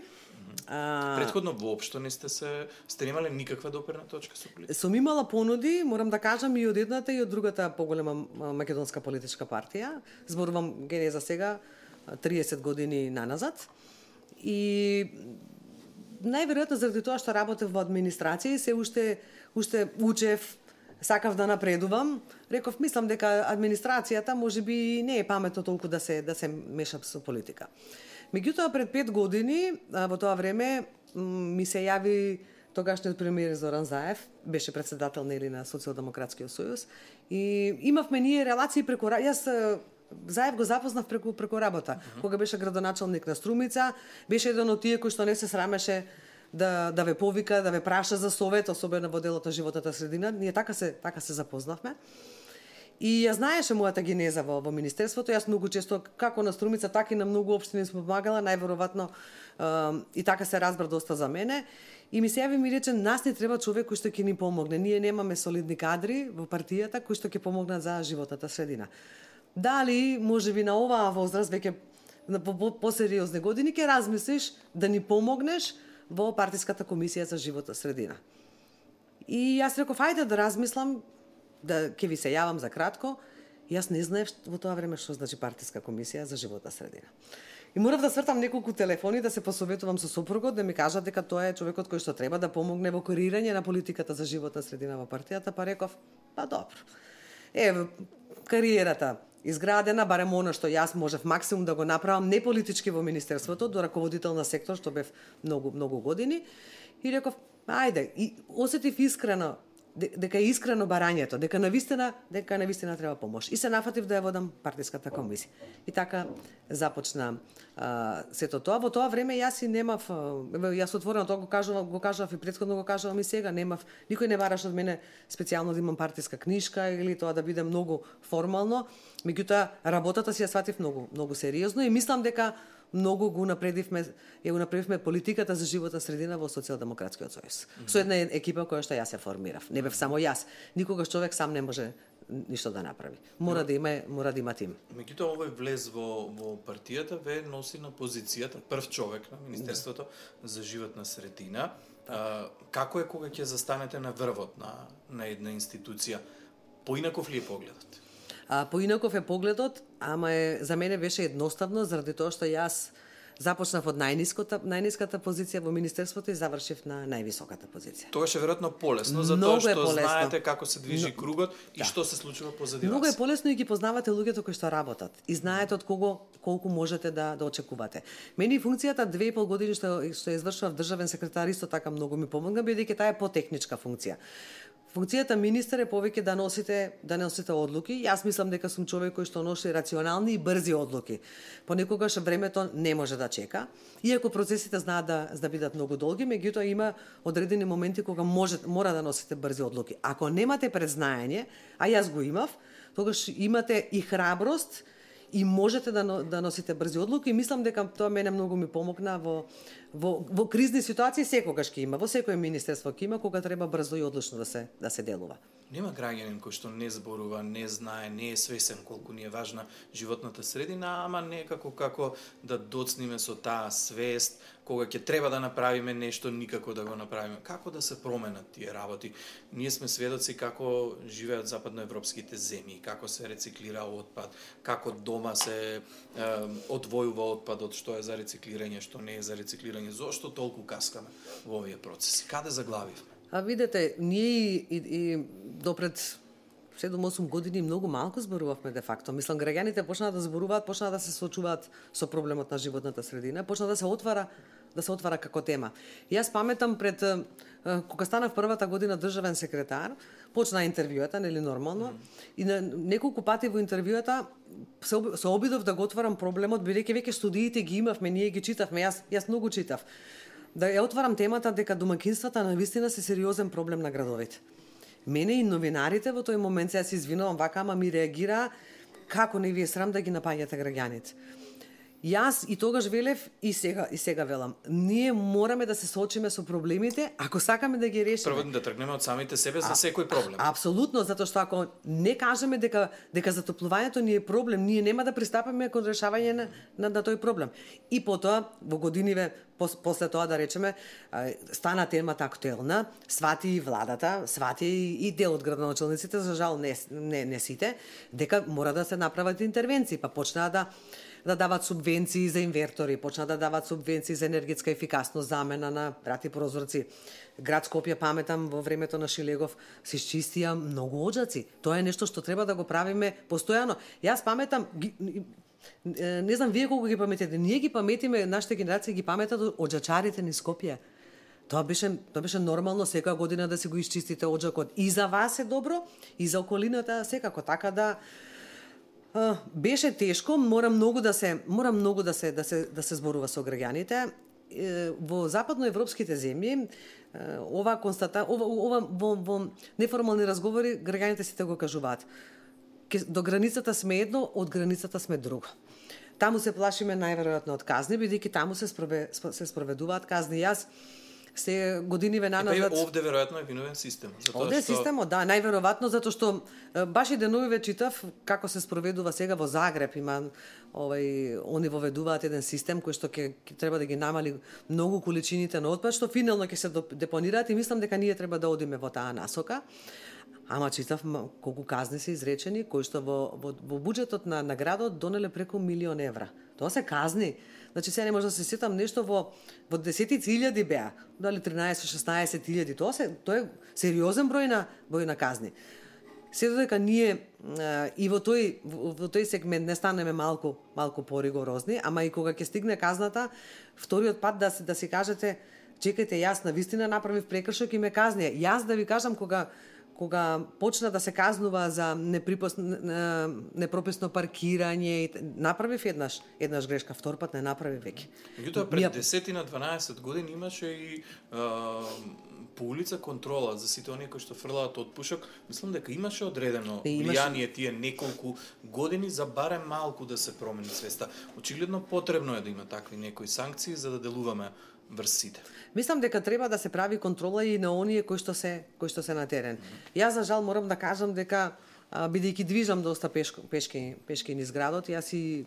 Претходно воопшто не сте немале никаква доперна точка со политика? Сум имала понуди, морам да кажам, и од едната и од другата поголема македонска политичка партија. Зборувам генеза сега 30 години наназад. И најверојатно заради тоа што работев во администрација и се уште учев, сакав да напредувам, реков, мислам дека администрацијата можеби не е паметно толку да се меша со политика. Меѓутоа пред 5 години, во тоа време ми се јави тогашниот премиер Зоран Заев, беше председател нели на Социјалдемократскиот сојуз и имавме ние релации преку јас Заев го запознав преку работа. Кога беше градоначалник на Струмица, беше еден од тие кои што не се срамеше да ве повика, да ве праша за совет, особено во делот на животната средина. Ние така се запознавме. И ја знаеше мојата генеза во министерството. Јас многу често, како на Струмица, така и на многу општини сме помагала, најверојатно и така се разбра доста за мене. И ми се јави ми рече, нас не треба човек кој што ќе ни помогне. Ние немаме солидни кадри во партијата кои што ќе помогнат за животната средина. Дали можеби на оваа возраст, веќе на посериозни години, ќе размислиш да ни помогнеш во партиската комисија за животна средина. И јас реков, ајде да размислам, да ќе ви се јавам за кратко. Јас не знаев во тоа време што значи партиска комисија за животна средина. И морав да свртам неколку телефони, да се посоветувам со сопругот, да ми кажат дека тоа е човекот кој што треба да помогне во креирање на политиката за животна средина во партијата, па реков, па добро. Кариерата изградена, барем она што јас можев максимум да го направам не политички во министерството, до раководител на сектор што бев многу години, и реков, ајде, и осетив искрено дека е искрено барањето, дека навистина треба помош. И се нафатив да ја водам партиската комисија. И така започна сето тоа. Во тоа време јас и немав, јас отворено тоа го кажав и претходно го кажувам и сега, никој не бараш од мене специјално да имам партиска книшка или тоа да биде многу формално. Меѓутоа работата си ја сватив многу сериозно и мислам дека многу го направивме политиката за животна средина во Социјалдемократскиот сојуз. Со една екипа која што јас ја формирав. Не бев само јас. Никогаш човек сам не може ништо да направи. Мора да има тим. Меѓутоа овој влез во партијата ве носи на позицијата прв човек на Министерството за животна средина. Како е кога ќе застанете на врвот на една институција? Поинаков ли е погледот? Поинаков е погледот, ама за мене беше едноставно, заради тоа што јас започнав од најниската позиција во министерството и завршив на највисоката позиција. Тогаш е веројатно полесно, затоа што знаете како се движи кругот и што се случува позади вас. Многу е полесно и ги познавате луѓето кои што работат и знаете од колку можете да очекувате. Мене функцијата 2,5 години што ја извршував државен секретар исто така многу ми помогна, бидејќи таа е потехничка функција. Функцијата министер е повеќе да носите одлуки. Јас мислам дека сум човек кој што носи рационални и брзи одлуки. Понекогаш времето не може да чека, иако процесите знаат да бидат многу долги, меѓутоа има одредени моменти кога мора да носите брзи одлуки. Ако немате предзнаење, а јас го имав, тогаш имате и храброст и можете да носите брзи одлуки и мислам дека тоа мене многу ми помогна во кризни ситуации секогаш ќе има, во секое министерство ќе има кога треба брзо и одлучно да се делува. Нема граѓанин кој што не зборува, не знае, не е свесен колку ни е важна животната средина, ама некако како да доцниме со таа свест, кога ќе треба да направиме нешто, никако да го направиме. Како да се променат тие работи? Ние сме сведоци како живеат западноевропските земји, како се рециклира отпад, како дома се одвојува отпадот, што е за рециклирање, што не е за рециклирање. Зошто толку каскаме во овие процеси? Каде заглавивме? А видете, ние и допред 7-8 години многу малку зборувавме де факто. Мислам, граѓаните почнаа да зборуваат, почнаа да се соочуваат со проблемот на животната средина, почнаа да се отвара како тема. Јас паметам пред кога станав првата година државен секретар, почна интервјуата, нели нормално, и на неколку пати во интервјуата се обидов да го отварам проблемот, бидејќи веќе студиите ги имавме, ние ги читавме, јас многу читав. Да ја отварам темата дека домаќинствата навистина се сериозен проблем на градовите. Мене и новинарите во тој момент, се извинувам вака, ама ми реагира како не ви е срам да ги напаѓате граѓаните. Јас и тогаш велев и сега велам. Ние мораме да се соочиме со проблемите, ако сакаме да ги решиме. Прво да тргнеме од самите себе за секој проблем. Апсолутно, затоа што ако не кажеме дека затоплувањето ни е проблем, ние нема да пристапиме кон решавање на тој проблем. И потоа во годиниве после тоа да речеме стана темата актуелна, свати и владата, свати и дел од градоначалниците, за жал не сите, дека мора да се направат интервенции, па почнаа да дават субвенции за инвертори, почна да дават субвенции за енергетска ефикасност, замена на врати прозорци. Град Скопје, паметам, во времето на Шилегов се изчистија многу оџаци. Тоа е нешто што треба да го правиме постојано. Јас паметам, не знам вие колку ги паметите, ние ги паметиме, нашите генерации ги паметат оџачарите низ Скопје. Тоа беше нормално секоја година да се го изчистите оџакот. И за вас е добро, и за околината секако, така да беше тешко, мора многу да се зборува со граѓаните. Во западноевропските земји ова во неформални разговори граѓаните сите го кажуваат. До границата сме едно, од границата сме друго. Таму се плашиме најверојатно од казни, бидејќи таму се спроведуваат казни. Јас се годиниве наназад. Овде веројатно е виновен систем. Овде е системот, да, најверојатно затоа што баш и деновиве читав како се спроведува сега во Загреб, има они воведуваат еден систем кој што ќе треба да ги намали многу количините на отпад, што финално ќе се депонираат, и мислам дека ние треба да одиме во таа насока. Ама читав колку казни се изречени, кои што во буџетот на градот донеле преку 1 милион евра. Тоа се казни. Значи сега не може да се сетам нешто во десетици илјади беа, дали 13-16 илјади. Тоа е сериозен број на казни. Се додека ние и во тој сегмент не станеме малку поригорозни, ама и кога ќе стигне казната, вториот пат да си кажете, чекајте, јас навистина направив прекршок и ме казни. Јас да ви кажам, кога почна да се казнува за непрописно паркирање, направив еднаш грешка, втор пат не направи веќе. Меѓутоа пред 10-12 години имаше и по улица контрола за сите оние кои што фрлаат од пушок. Мислам дека имаше одредено влијание тие неколку години за барем малку да се промени свеста. Очигледно потребно е да има такви некои санкции за да делуваме врз сите. Мислам дека треба да се прави контрола и на оние кои што се на терен. Јас за жал морам да кажам дека бидејќи движам доста пешки низ градот, јас и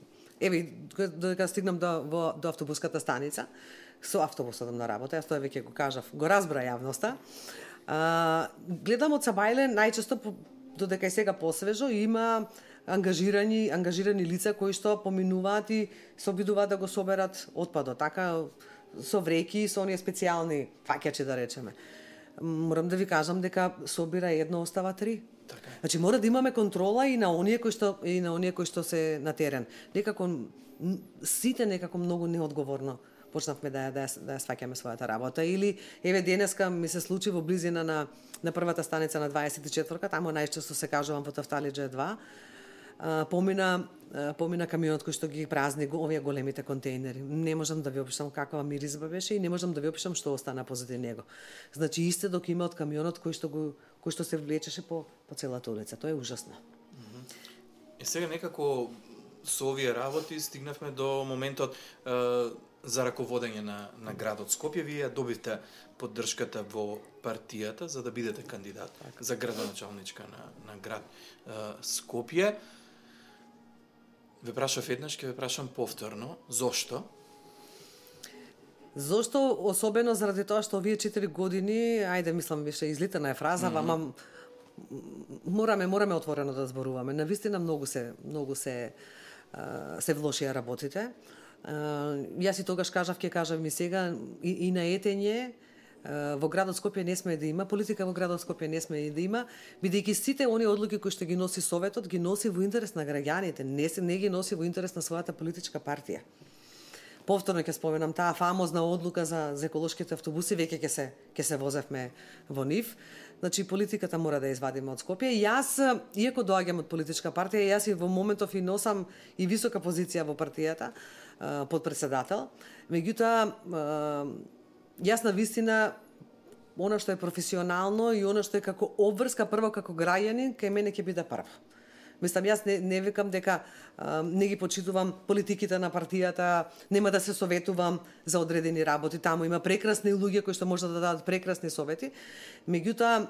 додека стигнам до автобуската станица, со автобусот на работа, јас тоа веќе го кажав, го разбра јавноста. Гледам од Сабајле најчесто додека е сега посвежо има ангажирани лица кои што поминуваат и се обидуваат да го соберат отпадот, така со вреки, со оние специјални фаќачи да речеме. Морам да ви кажам дека собира едно, остава 3. Така. Значи мора да имаме контрола и на оние кои што се на терен. Некако сите некако многу неодговорно почнавме да ја сваќаме својата работа. Или еве денеска ми се случи во близина на првата станица на 24-ка, таму најчесто се кажувам во Тафталиџе 2. Помина камионот кој што ги празни овие големите контейнери. Не можам да ви опишам каква миризба беше и не можам да ви опишам што остана позади него. Значи истедок има од камионот кој што се влечеше по целата улица. Тоа е ужасно. Сега некако со овие работи стигнавме до моментот за раководење на градот Скопје, вие ја добивте поддршката во партијата за да бидете кандидат за градоначалничка на град Скопје. Ве прашав еднаш, ќе ве прашам повторно. Зошто? Зошто? Особено заради тоа што овие 4 години, ајде мислам више излитана е фраза, ама мораме отворено да зборуваме. Навистина многу се влошија работите. Јас и тогаш кажав, ќе кажам и сега, и на етење во градот Скопје не сме да има, политика во градот Скопје не сме да има, бидејќи сите оние одлуки кои што ги носи Советот, ги носи во интерес на граѓаните, не ги носи во интерес на својата политичка партија. Повторно ќе споменам таа фамозна одлука за еколошките автобуси, веќе ќе се возевме во нив. Значи политиката мора да ја извадиме од Скопје. Јас, иако доаѓам од политичка партија, јас и во моментов и носам и висока позиција во партијата, подпредседател. Меѓутоа, јас на вистина, она што е професионално и она што е како обврска прво како граѓанин, кај мене ќе биде прво. Мислам, јас не викам дека не ги почитувам политиките на партијата, нема да се советувам за одредени работи. Таму има прекрасни луѓе кои што можат да дадат прекрасни совети. Меѓутоа,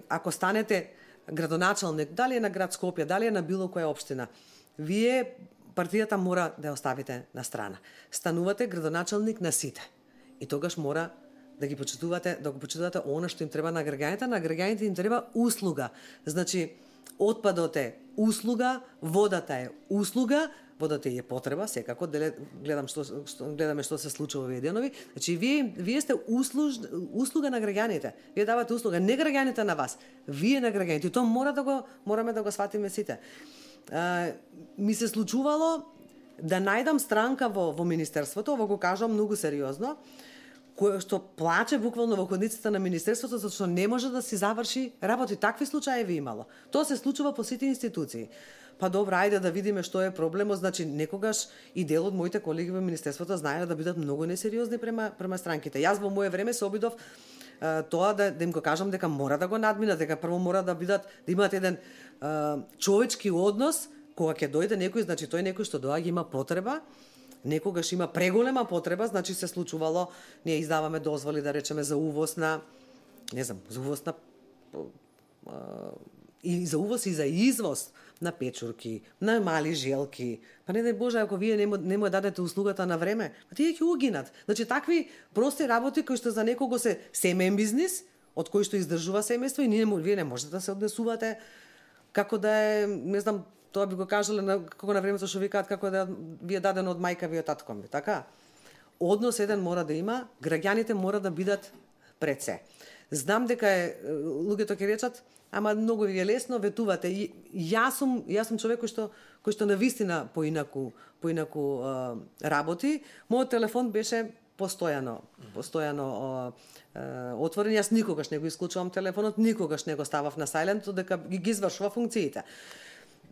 ако станете градоначалник, дали е на град Скопје, дали е на било која општина, вие партијата мора да ја оставите на страна. Станувате градоначалник на сите. И тогаш мора да го почитувате она што им треба на граѓаните. На граѓаните им треба услуга. Значи, отпадот е услуга, водата е услуга, водата е потреба, секако, гледаме што се случува овие денови. Значи, вие сте услуга на граѓаните. Вие давате услуга, не граѓаните на вас, вие на граѓаните. И тоа мораме да го сватиме сите. Ми се случувало да најдам странка во Министерството, ово го кажам многу сериозно, кој што плаче буквално во ходниците на Министерството, зашто не може да си заврши работи. Такви случаи имало. Тоа се случува по сите институции. Па добро, ајде да видиме што е проблемот. Значи, некогаш и дел од моите колеги во Министерството знаеле да бидат многу несериозни према странките. Јас во мое време се обидов тоа да им го кажам дека мора да го надминат, дека прво мора да имаат еден човечки однос, кога ќе дојде некој, значи тој некој што доаѓа има потреба, некогаш има преголема потреба, значи се случувало, ние издаваме дозволи, да речеме, за увоз на, и за увоз и за извоз на печурки, на мали желки. Па не дај Боже, ако вие не му дадете услугата на време, па тие ќе угинат. Значи, такви прости работи кои што за некого се семеен бизнис, од кој што издржува семејство, и вие не можете да се однесувате како да е, не знам, тоа би го кажале како на времето што викаат како да ви е дадено од мајка ви од татко ми, така? Однос еден мора да има, граѓаните мора да бидат пред се. Знам дека луѓето ќе речат, ама многу ви е лесно, ветувате. Јас сум човек кој што навистина поинаку работи. Мојот телефон беше постојано отворен. Јас никогаш не го исклучувам телефонот, никогаш не го ставав на сајлент, дека ги извршува функциите.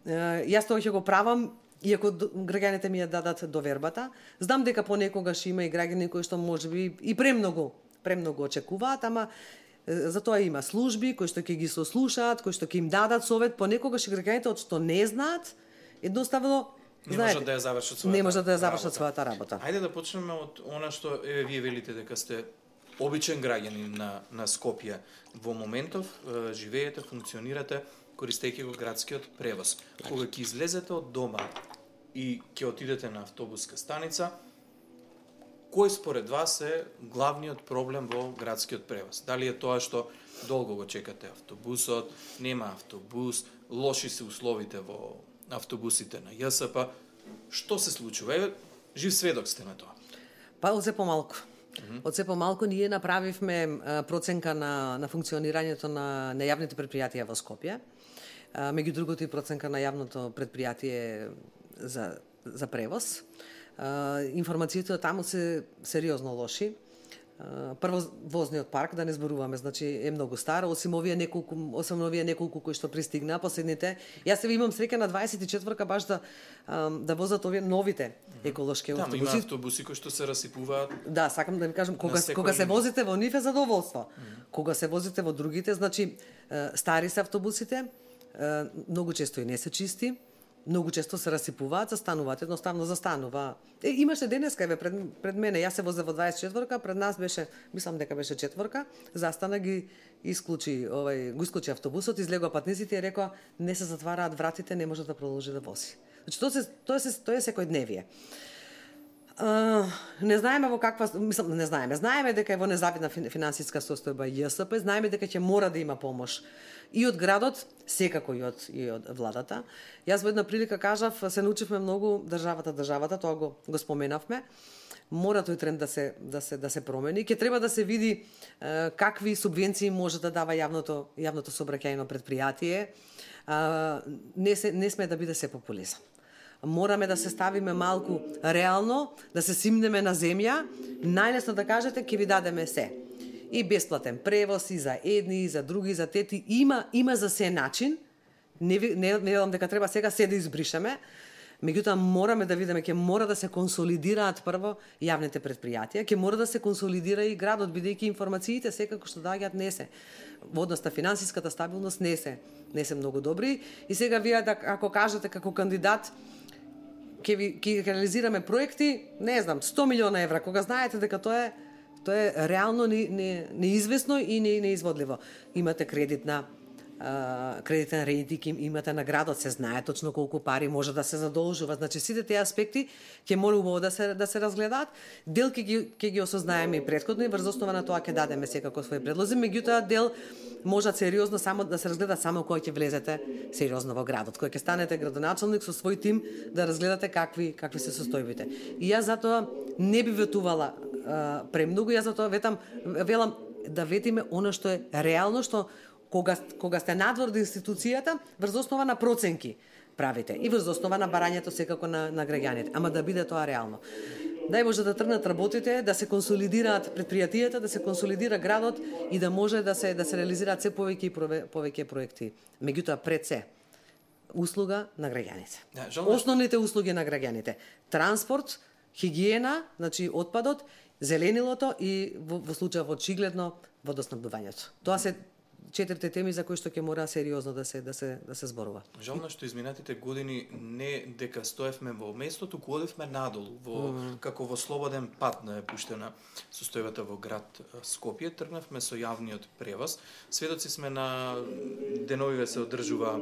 Јас тоа ќе го правам, иако граѓаните ми ја дадат довербата. Знам дека понекогаш има и граѓани кои што можеби и премногу очекуваат, ама за тоа има служби кои што ќе ги сослушаат, кои што ќе им дадат совет. Понекогаш и граѓаните од што не знаат, едноставно не можат да ја завршат својата работа. Ајде да почнеме од она што вие велите дека сте обичен граѓанин на Скопје. Во моментов живеете, функционирате користејќи го градскиот превоз. Кога ќе излезете од дома и ќе отидете на автобуска станица, кој според вас е главниот проблем во градскиот превоз? Дали е тоа што долго го чекате автобусот, нема автобус, лоши се условите во автобусите на ЈСП? Што се случува? Жив сведок сте на тоа. Па од се помалку. Од се помалку ние направивме проценка на функционирањето на јавните предпријатија во Скопје. Меѓу другото и проценка на јавното предпријатие за превоз. Информациите таму се сериозно лоши. Прво, возниот парк, да не зборуваме, значи е многу стар, осим овие неколку кои што пристигнаа последните. Јас се имам среќа на 24-ка баш да возат овие новите еколошки автобуси. Има автобуси кои што се расипуваат. Да, сакам да ви кажам, кога се возите во нив е задоволство. Кога се возите во другите, значи стари се автобусите, многу често и не се чисти. многу често се расипуваат, застануваат, едноставно застанува. Имаше денеска, еве, пред мене, јас се возев во 24-ка, пред нас беше, мислам дека беше 4-ка, застана ги исклучи, го исклучи автобусот, излегоа патниците и рекоа, не се затвараат вратите, не може да продолжи да вози. Значи, тоа е секојдневие. Не знаеме во каква, мислам, не знаеме. Знаеме дека е во незавидна финансиска состојба ЈСП, знаеме дека ќе мора да има помош и од градот, секако и од владата. Јас во една прилика кажав, се научивме многу државата, тоа го споменавме. Мора тој тренд да се промени. Ќе треба да се види какви субвенции може да дава јавното сообраќајно претпријатие. Не сме да биде се популизам. Мораме да се ставиме малку реално, да се симнеме на земја, најлесно да кажете ќе ви дадеме се. И бесплатен превоз, и за едни, и за други, и за тети. Има за се начин. Не велам дека треба сега се да избришеме. Меѓутоа мораме да видиме, ќе мора да се консолидираат прво јавните претпријатија, ќе мора да се консолидира и градот, бидејќи информациите секако што доаѓаат не се во однос на финансиската стабилност не се многу добри. И сега вие ако кажете како кандидат ќе реализираме проекти, не знам, 100 милиона евра, кога знаете дека тоа е реално неизвестно и неизводливо. Имате кредитен рейтинг, имате на градот, се знае точно колку пари може да се задолжува. Значи сите тие аспекти ќе мора убаво да се разгледаат. Дел ќе ги осознаеме и претходно и врз основа на тоа ќе дадеме секако своји предлози, меѓутоа дел можат сериозно само да се разгледа само кога ќе влезете сериозно во градот, кога ќе станете градоначалник со свој тим да разгледате какви се состојбите. И јас затоа не би ветувала премногу, јас затоа велам да ветиме она што е реално, што кога сте надвор од институцијата, врз основа на проценки правите и врз основа на барањето секако на граѓаните, ама да биде тоа реално. Дај може да тргнат работите, да се консолидираат предпријатијата, да се консолидира градот и да може да се реализираат се повеќе проекти. Меѓутоа пред се услуга на граѓаните. Основните услуги на граѓаните: транспорт, хигиена, значи отпадот, зеленилото и во случајот очигледно водоснабдувањето. Тоа се 4 теми за кои што ќе мора сериозно да се зборува. Жално што изминатите години не дека стоевме во местото, туку одевме надолу, како во слободен пат на пуштена состојбата во град Скопје, тргнавме со јавниот превоз. Сведоци сме на деновиве се одржува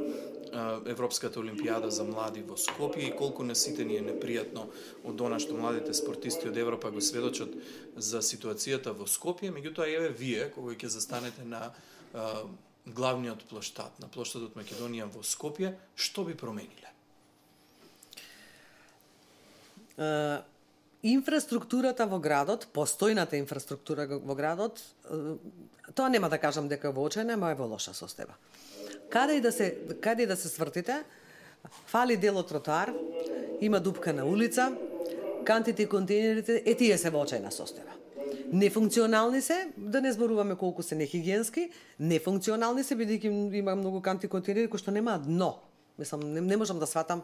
Европската олимпијада за млади во Скопје и колку на сите ни е непријатно од она што младите спортисти од Европа го сведочат за ситуацијата во Скопје, меѓутоа еве вие кога ќе застанете на главниот плоштад, на плоштадот Македонија во Скопје, што би промениле? Инфраструктурата во градот, постојната инфраструктура во градот, тоа нема да кажам дека во очајна, ама е во лоша состојба. Каде и да се свртите, фали дел од тротоар, има дупка на улица, кантите и контейнерите, тие се во очајна состојба. Нефункционални се, да не зборуваме колку се нехигиенски, нефункционални се, бидејќи има многу канти контейнери кои што немаат дно. Мислам, не можам да сватам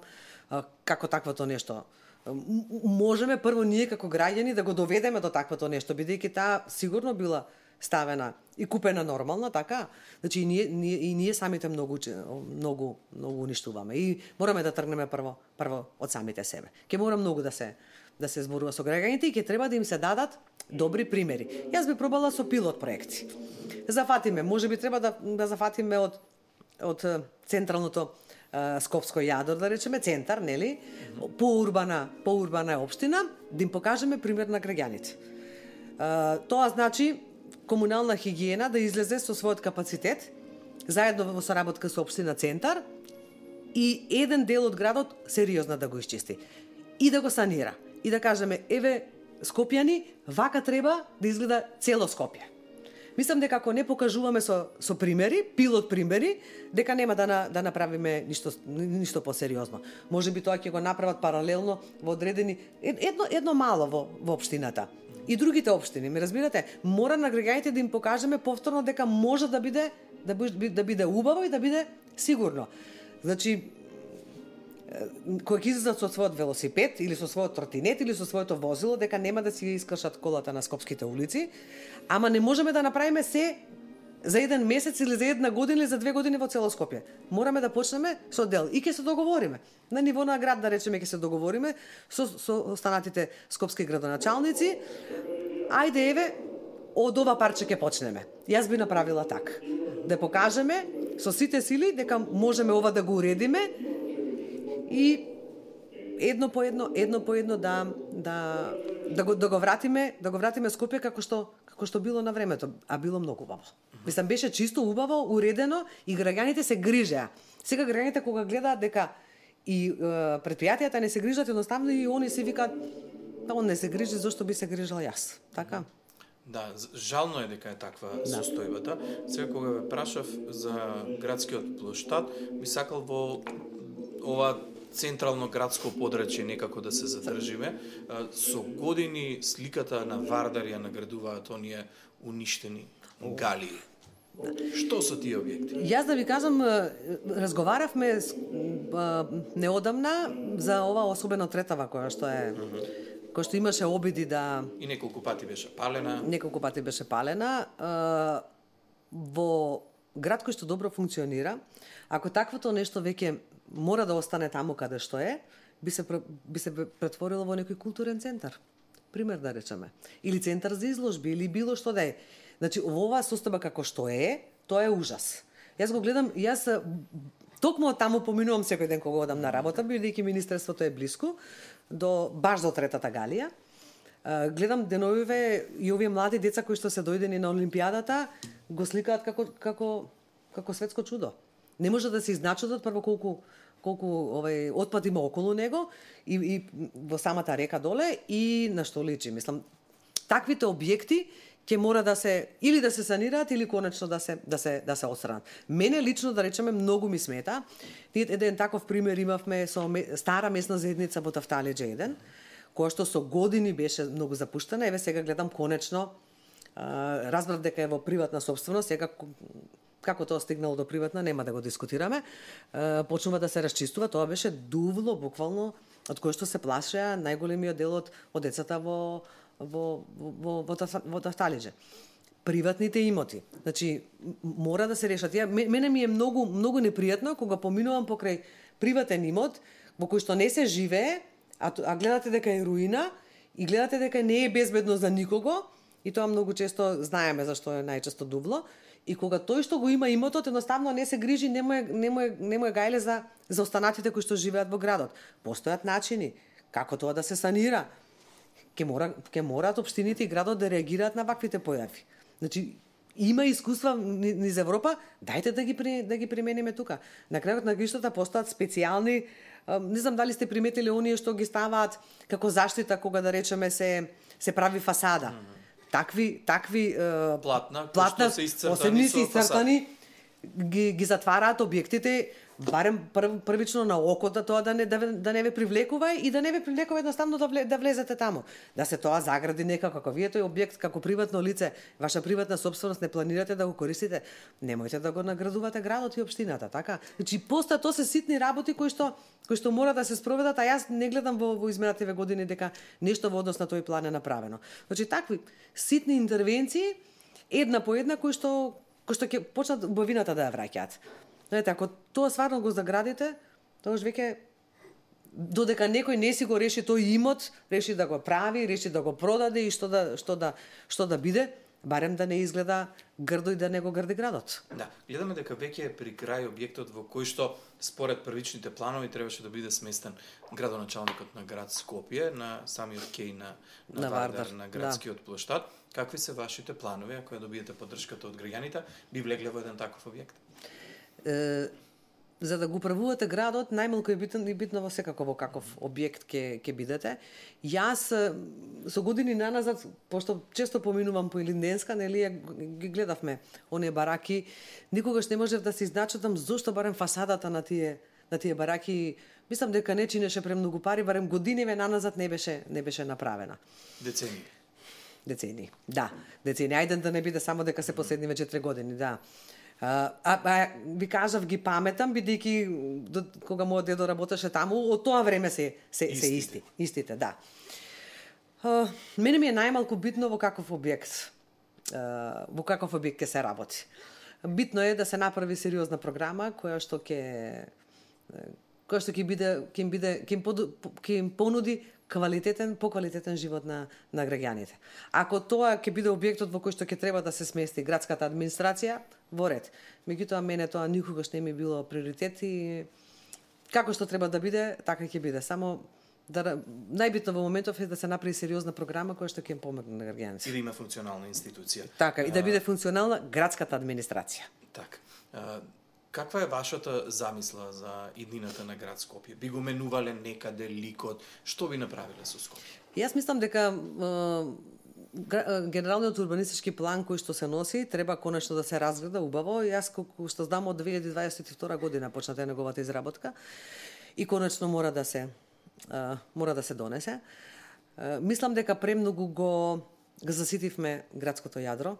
како таквото нешто. Можеме прво ние како граѓани да го доведеме до таквото нешто, бидејќи таа сигурно била ставена и купена нормална, така? Значи и ние самите многу уништуваме и мораме да тргнеме прво од самите себе. Ќе мора многу да се зборува со граѓаните и ќе треба да им се дадат добри примери. Јас би пробала со пилот проекти. Зафатиме, можеби треба да зафатиме од централното Скопско јадро, да речеме, центар, нели? Поурбана е општина, да им покажеме пример на граѓаните. Тоа значи комунална хигиена да излезе со својот капацитет, заедно во соработка со општина центар и еден дел од градот сериозно да го исчисти и да го санира. И да кажеме, еве, скопјани, вака треба да изгледа цело Скопје. Мислам дека ако не покажуваме со примери, пилот примери, дека нема да направиме ништо посериозно. Може би тоа ќе го направат паралелно во одредени едно мало во општината. И другите општини, ме разбирате, мора на граѓаните да им покажеме повторно дека може да биде убаво и да биде сигурно. Значи, кога ќе излезат со својот велосипед или со својот тротинет или со своето возило, дека нема да си искршат колата на скопските улици, ама не можеме да направиме се за еден месец или за една година или за 2 години во цело Скопје. Мораме да почнеме со дел и ќе се договориме. На ниво на град, да речеме, ќе се договориме со останатите скопски градоначалници. Ајде, еве, од ова парче ќе почнеме. Јас би направила така. Да покажеме со сите сили дека можеме ова да го уредиме и едно по едно да го вратиме Скопје како што било на времето, а било многу убаво. Мислам, беше чисто убаво, уредено и граѓаните се грижеа. Сега граѓаните кога гледаат дека и предпријатијата не се грижат, едноставно и они си викаат, он не се грижи, зошто би се грижила јас. Така? Да, жално е дека е таква состојбата. Сега кога ве прашав за градскиот плоштад, би сакал во ова централно градско подрачје некако да се задржиме. Со години сликата на Вардар ја наградуваат оние уништени галии. Што со тие објекти? Јас да ви кажам, разговаравме неодамна за ова, особено Третава, која што имаше обиди да... И неколку пати беше палена. Во град кој што добро функционира, ако таквото нешто веќе мора да остане таму каде што е, би се претворило во некој културен центар. Пример да речеме. Или центар за изложби, или било што да е. Значи, во оваа состојба како што е, тоа е ужас. Јас го гледам, токму таму поминувам секој ден кога одам на работа, бидејќи министерството е блиску, баш до Третата галија. Гледам деновиве и овие млади деца кои што се дојдени на Олимпијадата, го сликаат како светско чудо. Не може да се изначудат прво колку отпад има околу него и во самата река доле и на што личи. Мислам, таквите објекти ќе мора да се или да се санираат или конечно да се отстранат. Мене лично, да речеме, многу ми смета. Еден таков пример имавме со стара месна заедница во Тафталиџе 1, која што со години беше многу запуштена. Еве сега гледам конечно, разбрав дека е во приватна сопственост, сега како тоа стигнало до приватна, нема да го дискутираме. Почнува да се расчистува, тоа беше дувло буквално од кое што се плашеа најголемиот дел од децата во Тафталиџе. Приватните имоти. Значи, мора да се решат. Мене ми е многу непријатно кога поминувам покрај приватен имот во кој што не се живее, а гледате дека е руина и гледате дека не е безбедно за никого, и тоа многу често знаеме зашто е најчесто дувло, и кога тој што го има имотот едноставно не се грижи, не му е гајле за останатите кои што живеат во градот. Постојат начини како тоа да се санира. Ке мораат општините и градот да реагираат на ваквите појави. Значи, има искуства низ Европа, дајте да ги примениме тука. На крајот на краиштата постојат специјални, не знам дали сте приметили оние што ги ставаат како заштита кога да речеме се прави фасада. Такви платна посебни се исцртани ги затвараат објектите, барем првично на окото, тоа да не ве привлекува и да не ве привлекува едноставно да влезете таму. Да се тоа загради некако, како вие тој објект како приватно лице, ваша приватна собственост, не планирате да го користите, немојте да го наградувате градот и општината, така? Значи постојат тоа се ситни работи кои што мора да се спроведат, а јас не гледам во изминативе години дека нешто во однос на тој план е направено. Значи такви ситни интервенции една по една кои што ќе почнат убавината да ја враќаат. Знаете, ако тоа стварно го заградите, тогаш веќе додека некој не си го реши тој имот, реши да го прави, реши да го продаде и што да биде, барем да не изгледа грдо и да не го грди градот. Да, гледаме дека веќе е при крај објектот во кој што според првичните планови требаше да биде сместен градоначалникот на град Скопје на самиот кеј на Вардар, на градскиот плоштад. Какви се вашите планови ако ја добиете поддршката од граѓаните, би влегле во еден таков објект? За да го управувате градот, најмалку е битно во секако во каков објект ќе бидете. Јас со години наназад, пошто често поминувам по Илинденска, нели ги гледавме оние бараки, никогаш не можев да се изначудам зошто барем фасадата на тие бараки, мислам дека не чинеше премногу пари, барем годиниве наназад не беше направена. Децении. Да, децении. Ајде да не биде само дека се последниве 4 години, да. Ви кажав, ги паметам, бидејќи кога мојот дедо работеше таму, од тоа време се истите, да. Мене ми е најмалку битно во каков објект. во каков објект ќе се работи. Битно е да се направи сериозна програма која што ќе им понуди поквалитетен живот на граѓаните. Ако тоа ќе биде објектот во кој што ќе треба да се смести градската администрација, во ред. Меѓутоа мене тоа никогаш не ми било приоритет и како што треба да биде, така ќе биде. Само најбитно во моментов е да се направи сериозна програма која што ќе им помогне на граѓаните. И да има функционална институција. Така, и да биде функционална градската администрација. Така. Каква е вашата замисла за иднината на град Скопје? Би го менувале некаде ликот? Што би направиле со Скопје? Јас мислам дека генералниот урбанистички план кој што се носи треба конечно да се разгледа убаво. Јас колку што знам од 2022 година почната неговата изработка и конечно мора да се донесе. Мислам дека премногу го заситивме градското јадро,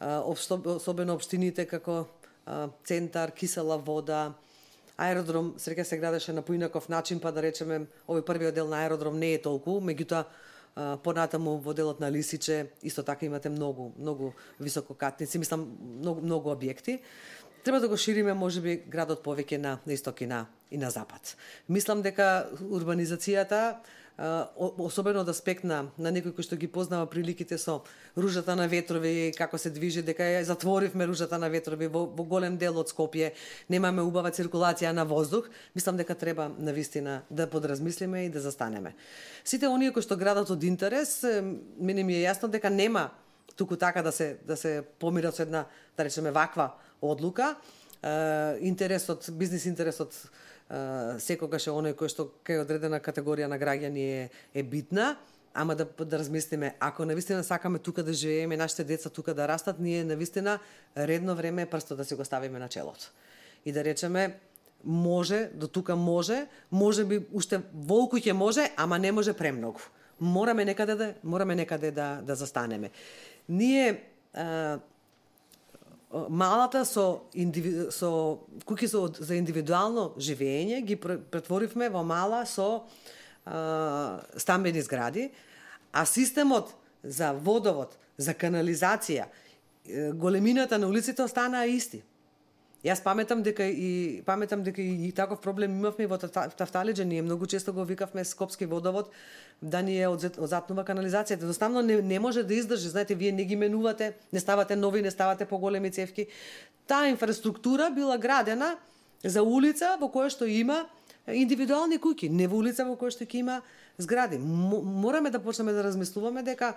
особено општините како Центар, Кисела вода, аеродром среќа се градеше на поинаков начин, па да речеме овој првиот дел на аеродром не е толку, меѓутоа понатаму во делот на Лисиче исто така имате многу висококатници, мислам многу објекти. Треба да го шириме можеби градот повеќе на исток и на запад. Мислам дека урбанизацијата особено од аспект на некој кој што ги познава приликите со ружата на ветрови, како се движи, дека ја затворивме ружата на ветрови во голем дел од Скопје, немаме убава циркулација на воздух, мислам дека треба навистина да подразмислиме и да застанеме. Сите оние кои што градат од интерес, мене ми е јасно дека нема туку така да се помират со една, да речеме, ваква одлука. Бизнис интересот секогаш е оној кој што кај одредена категорија на граѓани е битна, ама да размислиме, ако навистина сакаме тука да живееме, нашите деца тука да растат, ние навистина редно време е прсто да си го ставиме на челото. И да речеме, може, до тука може би уште волку ќе може, ама не може премногу. Мораме некаде да застанеме. Ние малата со куќи за индивидуално живење ги претворивме во мала со стамбени згради, а системот за водовод, за канализација, големината на улиците останаа исти. Јас паметам дека и таков проблем имавме во Тафталиџе, ние многу често го викавме скопски водовод да ни е одзатнува канализацијата. Едноставно не може да издржи, знаете, вие не ги менувате, не ставате нови, не ставате поголеми цевки. Таа инфраструктура била градена за улица во која што има индивидуални куќи, не во улица во која што ќе има згради. Мораме да почнеме да размислуваме дека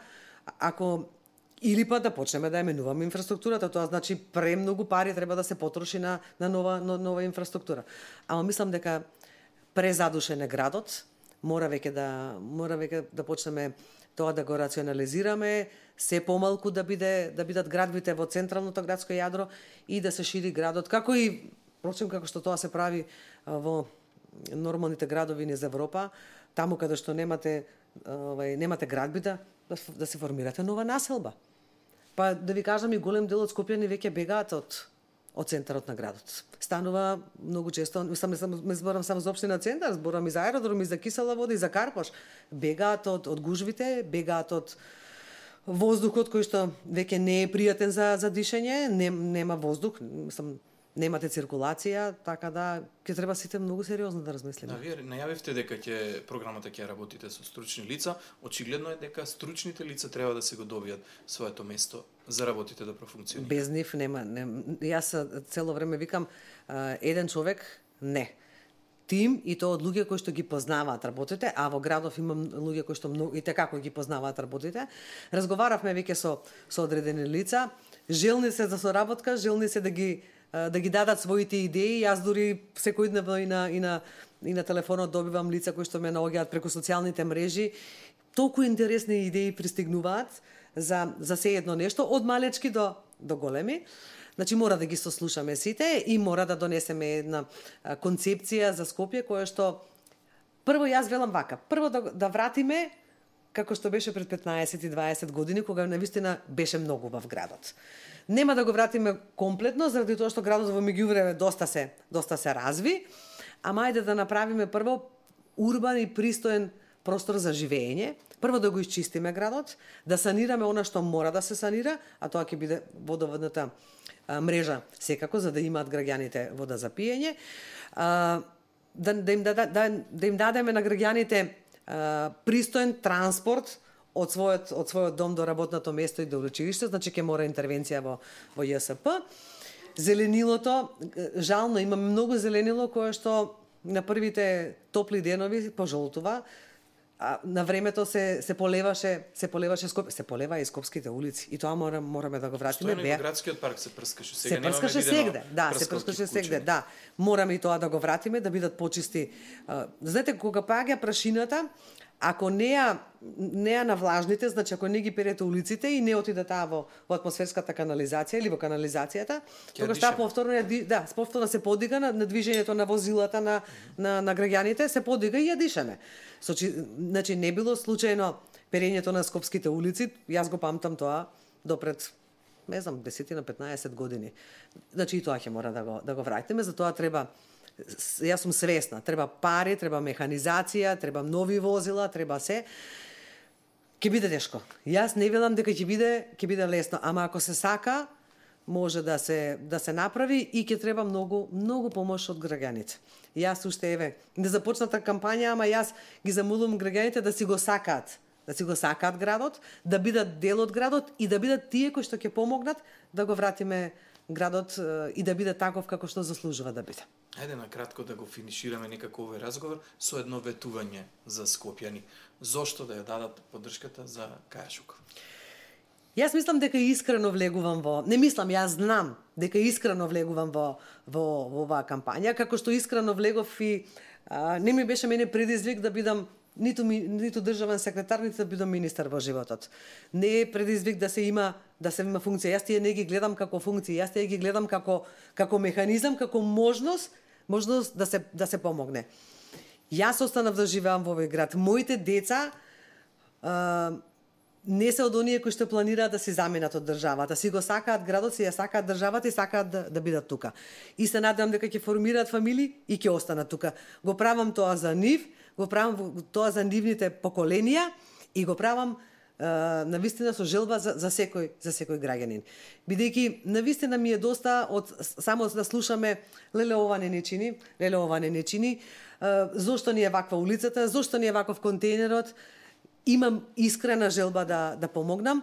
или па да почнеме да ја менуваме инфраструктурата, тоа значи премногу пари треба да се потроши на нова инфраструктура. Ама мислам дека презадушен е градот, мора веќе да почнеме тоа да го рационализираме, се помалку да бидат градбите во централното градско јадро и да се шири градот, како што тоа се прави во нормалните градови низ Европа, таму каде што немате градби да се формирате нова населба. Па да ви кажам, и голем дел од Скопјани веќе бегаат од центарот на градот. Станува многу често, не зборам само за општина Центар, зборам и за аеродром, и за Кисела вода, и за Карпош. Бегаат од гужвите, бегаат од воздухот кој што веќе не е пријатен за дишење, нема воздух, немате циркулација, така да ќе треба сите многу сериозно да размислиме. Вие најавивте дека програмата ќе работите со стручни лица. Очигледно е дека стручните лица треба да се го добијат своето место за работите да профункционираат. Без нив нема. Јас цело време викам, еден човек не. Тим и тоа од луѓе кои што ги познаваат работите, а во градов имам луѓе кои што и како ги познаваат работите. Разговаравме веќе со одредени лица, желни се за соработка, желни се да ги дадат своите идеи. Јас дури секојдневно и на телефонот добивам лица кои што ме наоѓаат преку социјалните мрежи. Толку интересни идеи пристигнуваат за се едно нешто, од малечки до големи. Значи мора да ги сослушаме сите и мора да донесеме една концепција за Скопје која што прво јас велам вака, прво да вратиме како што беше пред 15 и 20 години, кога навистина беше многу убав градот. Нема да го вратиме комплетно, заради тоа што градот во меѓувреме доста се разви, ама ајде да направиме прво урбан и пристоен простор за живење, прво да го исчистиме градот, да санираме она што мора да се санира, а тоа ќе биде водоводната мрежа секако, за да имаат граѓаните вода за пиење. Да им дадеме на граѓаните пристоен транспорт од својот дом до работното место и до училиште, значи ќе мора интервенција во ЈСП. Зеленилото, жално имаме многу зеленило кое што на првите топли денови пожолтува. На времето се полеваше Скопје, се полева и скопските улици и тоа мораме да го вратиме. Што е во градскиот парк се прскаше сега? Се прскаше сегде, се прскаше сегде, да. Мораме и тоа да го вратиме, да бидат почисти. Знаете, кога паѓа прашината, ако не ја навлажните, значи ако не ги перете улиците и не отиде таа во атмосферската канализација или во канализацијата, тогаш таа повторно се подига на движењето на возилата на граѓаните, се подига и ја дишаме. Значи не било случајно перењето на скопските улици, јас го памтам тоа допред, не знам, 10-15 години. Значи и тоа ќе мора да го вратиме, за тоа треба. Јас сум свесна, треба пари, треба механизација, треба нови возила, треба се. Ќе биде тешко. Јас не велам дека ќе биде лесно, ама ако се сака, може да се направи и ќе треба многу помош од граѓаните. Јас уште не започната кампања, ама јас ги замолувам граѓаните да си го сакаат градот, да бидат дел од градот и да бидат тие кои што ќе помогнат да го вратиме градот и да биде таков како што заслужува да биде. Ајде на кратко да го финишираме некако овој разговор со едно ветување за скопјани. Зошто да ја дадат поддршката за Каја Шукова? Јас мислам дека искрено влегувам јас знам дека искрено влегувам во оваа кампања, како што искрено влегов и не ми беше мене предизвик да бидам ниту државен секретар, ниту да бидам министар во животот. Не е предизвик да се има функција. Јас тие не ги гледам како функции, јас тие ги гледам како механизам, како можност да се помогне. Јас останав да живеам во овој град. Моите деца не се од оние кои што планираат да се заменат од државата. Си го сакаат градот, си ја сакаат државата и сакаат да бидат тука. И се надевам дека ќе формираат фамилии и ќе останат тука. Го правам тоа за нив, го правам тоа за нивните поколенија и го правам навистина со желба за секој граѓанин. Бидејќи навистина ми е доста од само да слушаме леле ова не не чини, зошто ни е ваква улицата, зошто ни е ваков контејнерот. Имам искрена желба да помогнам.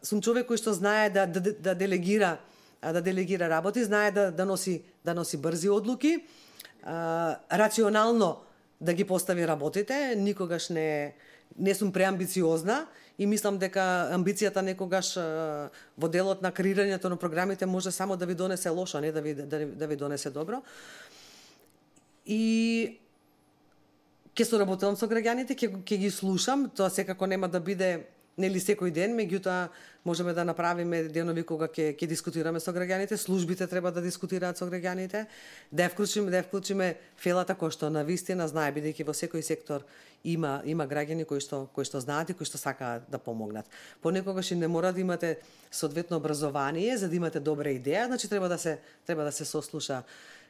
Сум човек кој што знае да делегира работи, знае да носи брзи одлуки, рационално да ги постави работите, никогаш не сум преамбициозна и мислам дека амбицијата некогаш во делот на креирањето на програмите може само да ви донесе лошо, не да ви донесе добро. И ќе соработувам со граѓаните, ќе ги слушам, тоа секако нема да биде нели секој ден, меѓутоа можеме да направиме денови кога ќе дискутираме со граѓаните, службите треба да дискутираат со граѓаните, да вклучиме фелата кој што навистина знае, бидејќи во секој сектор има граѓани кои што знаат и кои што сакаат да помогнат. Понекогаш и не мора да имате соодветно образование за да имате добра идеја, значи треба да се сослуша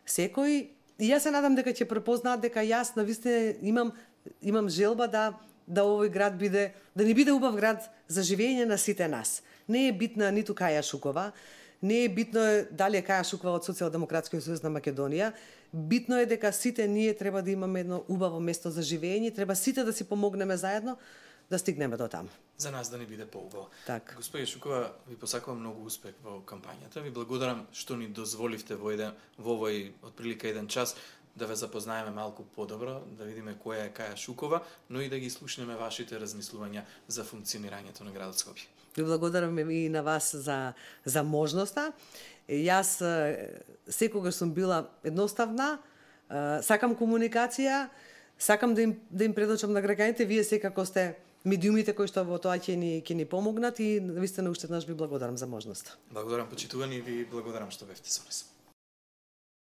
секој. И јас се надам дека ќе препознаат дека јас навистина имам желба да овој град да не биде убав град за живење на сите нас. Не е битна ниту Каја Шукова, не е битно дали е Каја Шукова од Социјалдемократскиот сојуз на Македонија. Битно е дека сите ние треба да имаме едно убаво место за живење, треба сите да си помогнеме заедно да стигнеме до таму. За нас да не биде поубаво. Так. Господи Шукова, ви посакувам многу успех во кампањата. Ви благодарам што ни дозволивте во овој отприлика 1 час да ве запознаеме малку подобро, да видиме која е Каја Шукова, но и да ги слушнеме вашите размислувања за функционирањето на градот Скопје. Ви благодарам и на вас за можноста. Јас секогаш сум била едноставна, сакам комуникација, сакам да им предочам на граѓаните, вие секако сте медиумите кои што во тоа ќе ни помогнат и навистина уште еднаш ви благодарам за можноста. Благодарам почитувани и ви благодарам што бевте со нас.